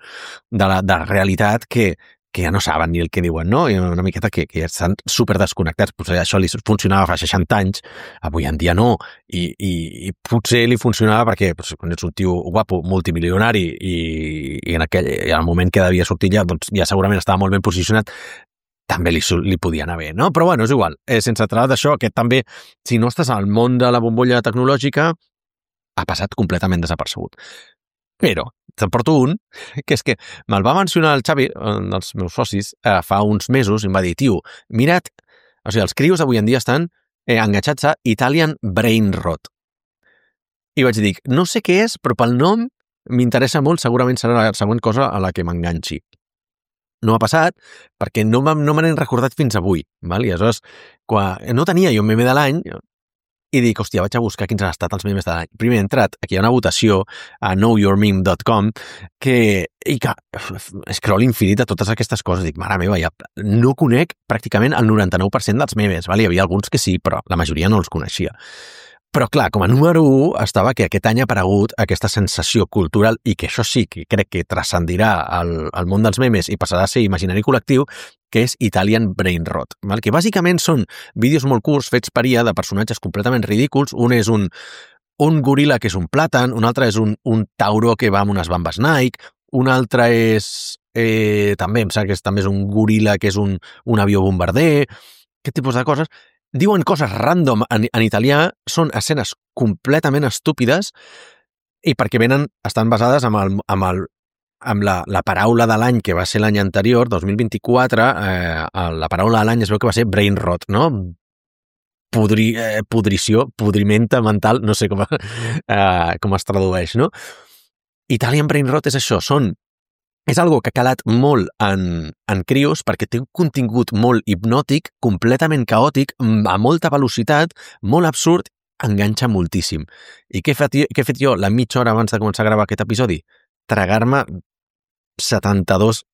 de la realitat que ja no saben ni el que diuen, no? I una miqueta que estan super desconnectats. Potser això li funcionava fa 60 anys, avui en dia no, i potser li funcionava perquè quan ets un tio guapo, multimilionari, i en el moment que devia sortir ja segurament estava molt ben posicionat, també li podia anar bé, no? Però bueno, és igual. Sense entrar d'això, que també, si no estàs al món de la bombolla tecnològica, ha passat completament desapercebut. Però te'n porto un, que és que me'l va mencionar el Xavi, un dels meus socis, fa uns mesos, i em va dir, tio, mira't, o sigui, els crios avui en dia estan enganxats a Italian Brain Rot. I vaig dir, no sé què és, però pel nom m'interessa molt, segurament serà la següent cosa a la que m'enganxi. No ha passat perquè no me n'he recordat fins avui, val? I aleshores, no tenia jo un meme de l'any, i dic, hòstia, vaig a buscar quins han estat els memes de l'any. Primer he entrat, aquí hi ha una votació a knowyourmeme.com i que scroll infinit a totes aquestes coses. Dic, mare meva, ja no conec pràcticament el 99% dels memes. Val? Hi havia alguns que sí, però la majoria no els coneixia. Però clar, com a número 1 estava que aquest any ha aparegut aquesta sensació cultural i que això sí que crec que transcendirà al món dels memes i passarà a ser imaginari col·lectiu, que és Italian Brain Rot, val? Que bàsicament són vídeos molt curts fets per IA de personatges completament ridículs. Un és un goril·la que és un plàtan, un altre és un tauró que va amb unes bambes Nike, un altre és també, em sembla que també és un goril·la que és un avió bombarder, aquest tipus de coses. Diuen coses random en italià, són escenes completament estúpides i perquè estan basades amb la paraula de l'any que va ser l'any anterior, 2024, la paraula de l'any es veu que va ser brain rot, no? Pudrició, pudrimenta mental, no sé com es tradueix, no? Italian brain rot és això, és algo que ha calat molt en crios perquè té un contingut molt hipnòtic, completament caòtic, a molta velocitat, molt absurd, enganxa moltíssim. I què he fet jo la mitja hora abans de començar a gravar aquest episodi? Tragar-me 72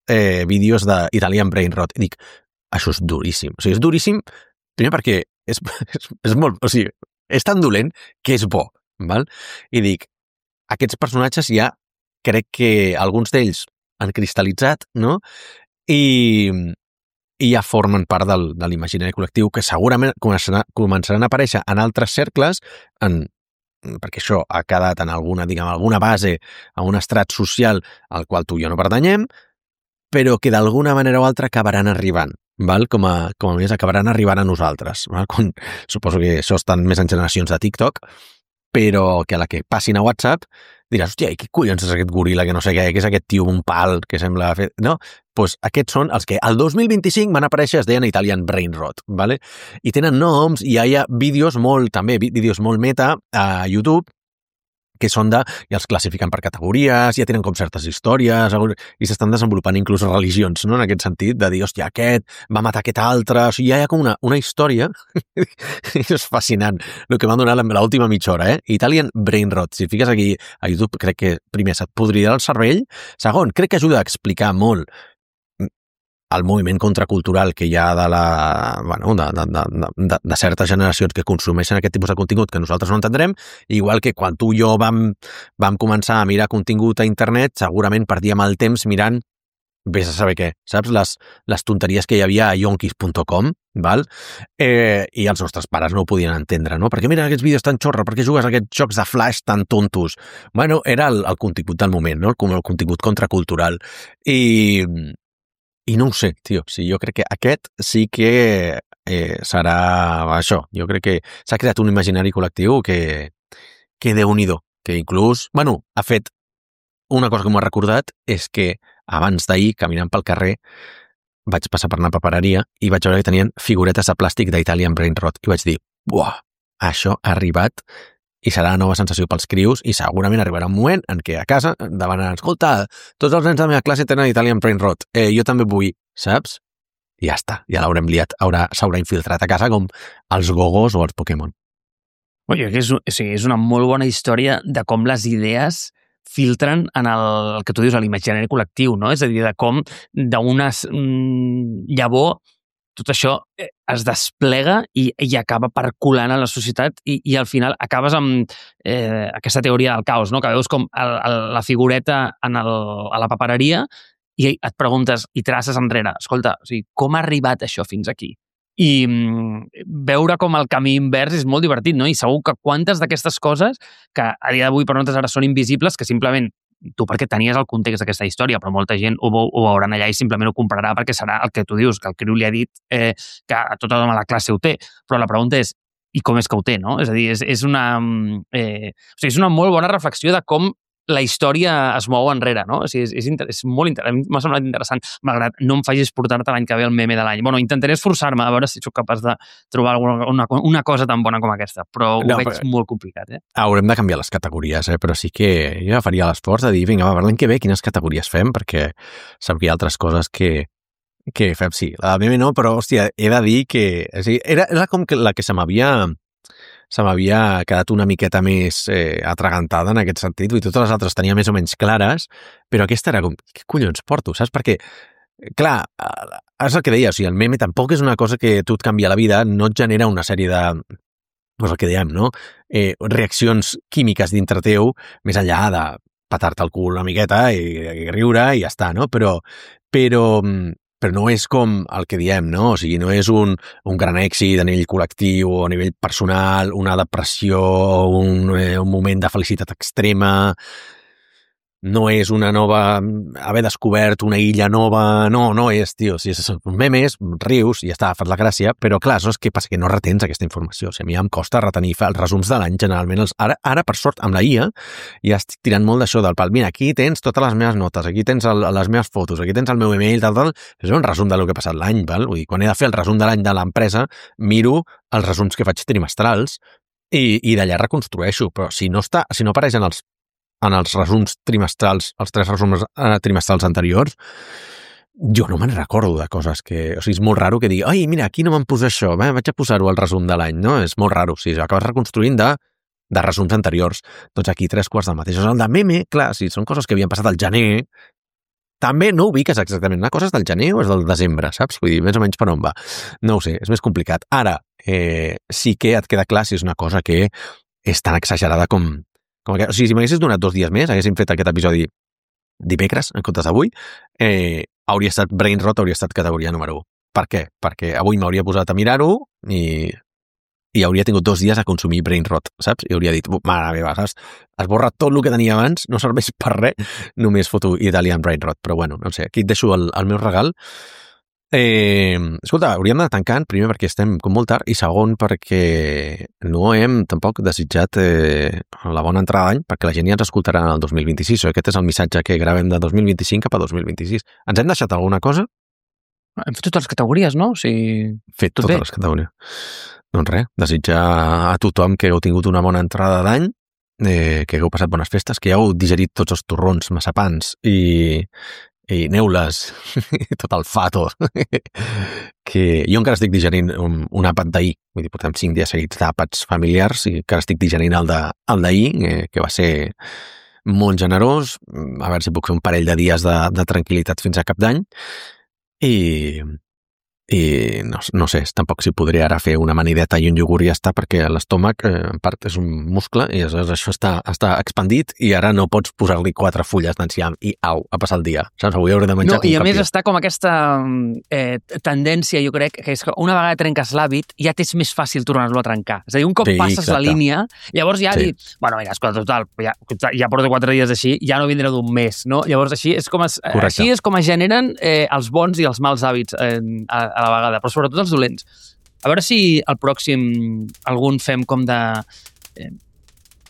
vídeos d'Italian Brain Rot. I dic, això és duríssim. O sigui, és duríssim, primer perquè és molt... O sigui, és tan dolent que és bo, val? I dic, aquests personatges ja crec que alguns d'ells han cristal·litzat, no? I ja formen part de l'imaginari col·lectiu que segurament començaran a aparèixer en altres cercles, perquè això ha quedat en alguna base, a un estrat social al qual tu i jo no pertanyem, però que d'alguna manera o altra acabaran arribant, val? Com a més acabaran arribant a nosaltres. Val? Suposo que això estan més en generacions de TikTok, però que a la que passin a WhatsApp diràs, hòstia, i què collons és aquest goril·la que no sé què, que és aquest tio un pal que sembla fer... No? Doncs aquests són els que al 2025 van aparèixer, es deien Italian Brain Rot, ¿vale? I tenen noms i hi ha vídeos molt meta a YouTube que són i els classifiquen per categories, ja tenen com certes històries, i s'estan desenvolupant inclús religions, no? En aquest sentit, de dir, hòstia, aquest va matar aquest altre, o sigui, ja hi ha com una història, és fascinant, el que m'ha donat l'última mitja hora, Italian Brain Rot, si fiques aquí a YouTube, crec que primer se't podrirà el cervell, segon, crec que ajuda a explicar molt el moviment contracultural que hi ha de certes generacions que consumeixen aquest tipus de contingut que nosaltres no entendrem, igual que quan tu i jo vam començar a mirar contingut a internet, segurament perdíem el temps mirant vés a saber què, saps? Les tonteries que hi havia a yonkis.com, val? I els nostres pares no ho podien entendre, no? Perquè mira aquests vídeos tan xorra, per què jugues a aquests jocs de flash tan tontos? Bueno, era el contingut del moment, no? El contingut contracultural. I no ho sé, tio. Sí, jo crec que aquest sí que serà això. Jo crec que s'ha creat un imaginari col·lectiu que Déu-n'hi-do, que inclús, bueno, ha fet una cosa que m'ho ha recordat, és que abans d'ahir, caminant pel carrer, vaig passar per una papereria i vaig veure que tenien figuretes de plàstic d'Italian Brain Rot i vaig dir, buah, això ha arribat i serà la nova sensació pels crios i segurament arribarà un moment en què a casa demanaran, escolta, tots els nens de la meva classe tenen Italian Brain Rot, jo també vull, saps? I ja està, ja l'haurem liat, s'haurà infiltrat a casa com els gogos o els Pokémon. Oye, és una molt bona història de com les idees filtren en el que tu dius, a l'imaginari col·lectiu, no? És a dir, de com d'una llavor tot això es desplega i acaba percolant a la societat i al final acabes amb aquesta teoria del caos, no? Que veus com la figureta a la papereria i et preguntes i traces enrere, escolta, o sigui, com ha arribat això fins aquí? I veure com el camí invers és molt divertit, no? I segur que quantes d'aquestes coses que a dia d'avui per nosaltres ara són invisibles, que simplement tu perquè tenies el context d'aquesta història, però molta gent ho veuran allà i simplement ho comprarà perquè serà el que tu dius, que el criu li ha dit que a tothom a la classe ho té. Però la pregunta és, i com és que ho té, no? És a dir, és una molt bona reflexió de com la història es mou enrere, no? O sigui, és molt interessant, m'ha semblat interessant, malgrat no em facis portar-te l'any que ve el meme de l'any. Bueno, intentaré esforçar-me a veure si sóc capaç de trobar una cosa tan bona com aquesta, però ho veig molt complicat, Haurem de canviar les categories, però sí que jo faria l'esforç de dir, vinga, va, per l'any que ve quines categories fem, perquè sap que hi ha altres coses que fem, sí. La meme no, però, hòstia, he de dir que... O sigui, era com que la que se m'havia quedat una miqueta més atragantada en aquest sentit, i totes les altres tenia més o menys clares, però aquesta era com, què collons porto, saps? Perquè, clar, és el que deia, o sigui, el meme tampoc és una cosa que tu et canvia la vida, no et genera una sèrie de, és el que dèiem, no? Reaccions químiques dintre teu, més enllà de petar-te el cul una miqueta i riure i ja està, no? Però no és com el que diem, no? O sigui, no és un gran èxit a nivell col·lectiu o a nivell personal, una depressió, un moment de felicitat extrema, no és una nova... haver descobert una illa nova... No és, tio. Si és memes, rius i ja està, fas la gràcia, però clar, saps què passa? Que no retens aquesta informació. O sigui, a mi em costa retenir els resums de l'any, generalment. Ara, per sort, amb la IA, ja estic tirant molt d'això del pal. Mira, aquí tens totes les meves notes, aquí tens les meves fotos, aquí tens el meu email, tal. És un resum del que ha passat l'any, val? Vull dir, quan he de fer el resum de l'any de l'empresa, miro els resums que faig trimestrals i d'allà reconstrueixo. Però si no apareixen en els resums trimestrals, els 3 resums trimestrals anteriors, jo no me'n recordo de coses que... O sigui, és molt raro que digui, ai, mira, aquí no me'n posa això, vaig a posar-ho al resum de l'any, no? És molt raro, o sigui, acabes reconstruint de resums anteriors. Doncs aquí 3/4 del mateix. El de meme, clar, si són coses que havien passat al gener, també no ubiques exactament una cosa és del gener o és del desembre, saps? Vull dir, més o menys per on va. No ho sé, és més complicat. Ara, sí que et queda clar si és una cosa que és tan exagerada com que, o sigui, si m'haguessis donat 2 dies més, haguéssim fet aquest episodi dimecres, en comptes d'avui, hauria estat Brain Rot, hauria estat categoria número 1. Per què? Perquè avui m'hauria posat a mirar-ho i hauria tingut 2 dies a consumir Brain Rot, saps? I hauria dit, mare meva, saps? Esborra tot el que tenia abans, no serveix per res, només foto Italian Brain Rot. Però bueno, no sé, aquí et deixo el meu regal. Escolta, hauríem de tancar, primer perquè estem com molt tard i segon perquè no hem tampoc desitjat la bona entrada d'any perquè la gent ja ens escoltarà el 2026. Aquest és el missatge que gravem de 2025 cap a 2026. Ens hem deixat alguna cosa? Hem fet totes les categories, no? O sigui, fet totes les categories. Doncs res, desitjar a tothom que heu tingut una bona entrada d'any, que hagueu passat bones festes, que heu digerit tots els torrons, massapans i neules, tot el fato, que jo encara estic digerint un àpat d'ahir, vull dir, portem 5 dies seguits d'àpats familiars i encara estic digerint el d'ahir, que va ser molt generós, a veure si puc fer un parell de dies de tranquil·litat fins a cap d'any, i no sé, tampoc si podré ara fer una amanideta i un iogurt i ja està, perquè l'estómac en part és un muscle i això està expandit i ara no pots posar-li 4 fulles d'enciam i au, a passar el dia, saps? Avui hauré de menjar i a més està com aquesta tendència, jo crec, que és que una vegada trenques l'hàbit ja t'és més fàcil tornar-lo a trencar. És a dir, un cop passes la línia, llavors ja bueno, mira, escolta, total, ja porto 4 dies així, ja no vindré d'un mes, no? Llavors així és com es generen els bons i els mals hàbits a la vegada, però sobretot els dolents. A veure si al pròxim algun fem com de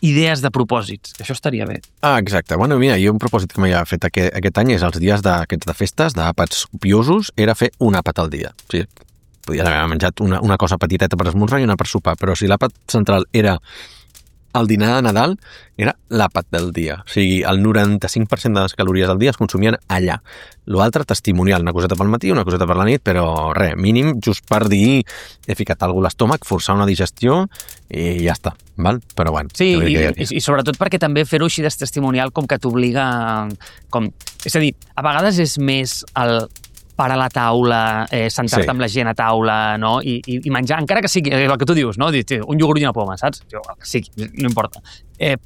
idees de propòsits, que això estaria bé. Exacte. Bueno, mira, jo un propòsit que m'havia fet aquest any és els dies d'aquests de festes, d'àpats copiosos, era fer un àpat al dia. O sigui, podies haver menjat una cosa petiteta per esmorzar i una per sopar, però si l'àpat central era el dinar de Nadal, era l'àpat del dia. O sigui, el 95% de les calories del dia es consumien allà. L'altre, testimonial, una coseta pel matí, una coseta per la nit, però res, mínim, just per dir, he ficat alguna a l'estómac, forçar una digestió i ja està, val? Però bueno. Sí, i sobretot perquè també fer-ho així de testimonial com que t'obliga és a dir, a vegades és més el parar a la taula, sentar-te amb la gent a taula, no? I menjar, encara que sigui el que tu dius, no? Un iogurt i una poma, saps? Sí, no importa.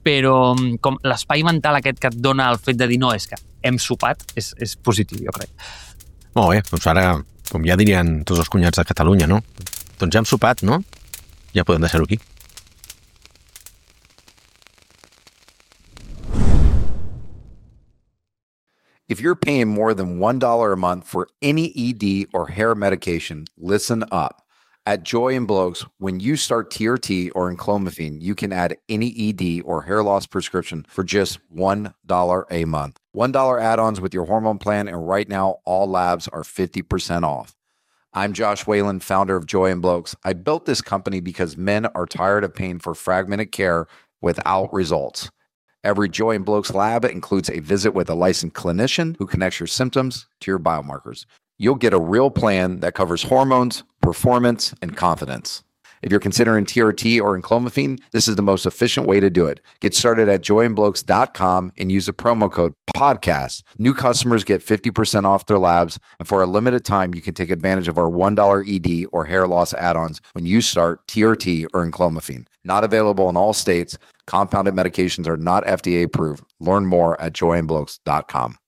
Però com l'espai mental aquest que et dona el fet de dir no, és que hem sopat, és positiu, jo crec. Molt bé, doncs ara, com ja dirien tots els cunyats de Catalunya, no? Doncs ja hem sopat, no? Ja podem deixar-ho aquí. If you're paying more than $1 a month for any ED or hair medication, listen up. At Joy and Blokes, when you start TRT or enclomiphene, you can add any ED or hair loss prescription for just $1 a month. $1 add-ons with your hormone plan, and right now, all labs are 50% off. I'm Josh Whalen, founder of Joy and Blokes. I built this company because men are tired of paying for fragmented care without results. Every Joy and Blokes lab includes a visit with a licensed clinician who connects your symptoms to your biomarkers. You'll get a real plan that covers hormones, performance, and confidence. If you're considering TRT or enclomiphene, this is the most efficient way to do it. Get started at joyandblokes.com and use the promo code PODCAST. New customers get 50% off their labs, and for a limited time, you can take advantage of our $1 ED or hair loss add-ons when you start TRT or enclomiphene. Not available in all states. Compounded medications are not FDA approved. Learn more at joyandblokes.com.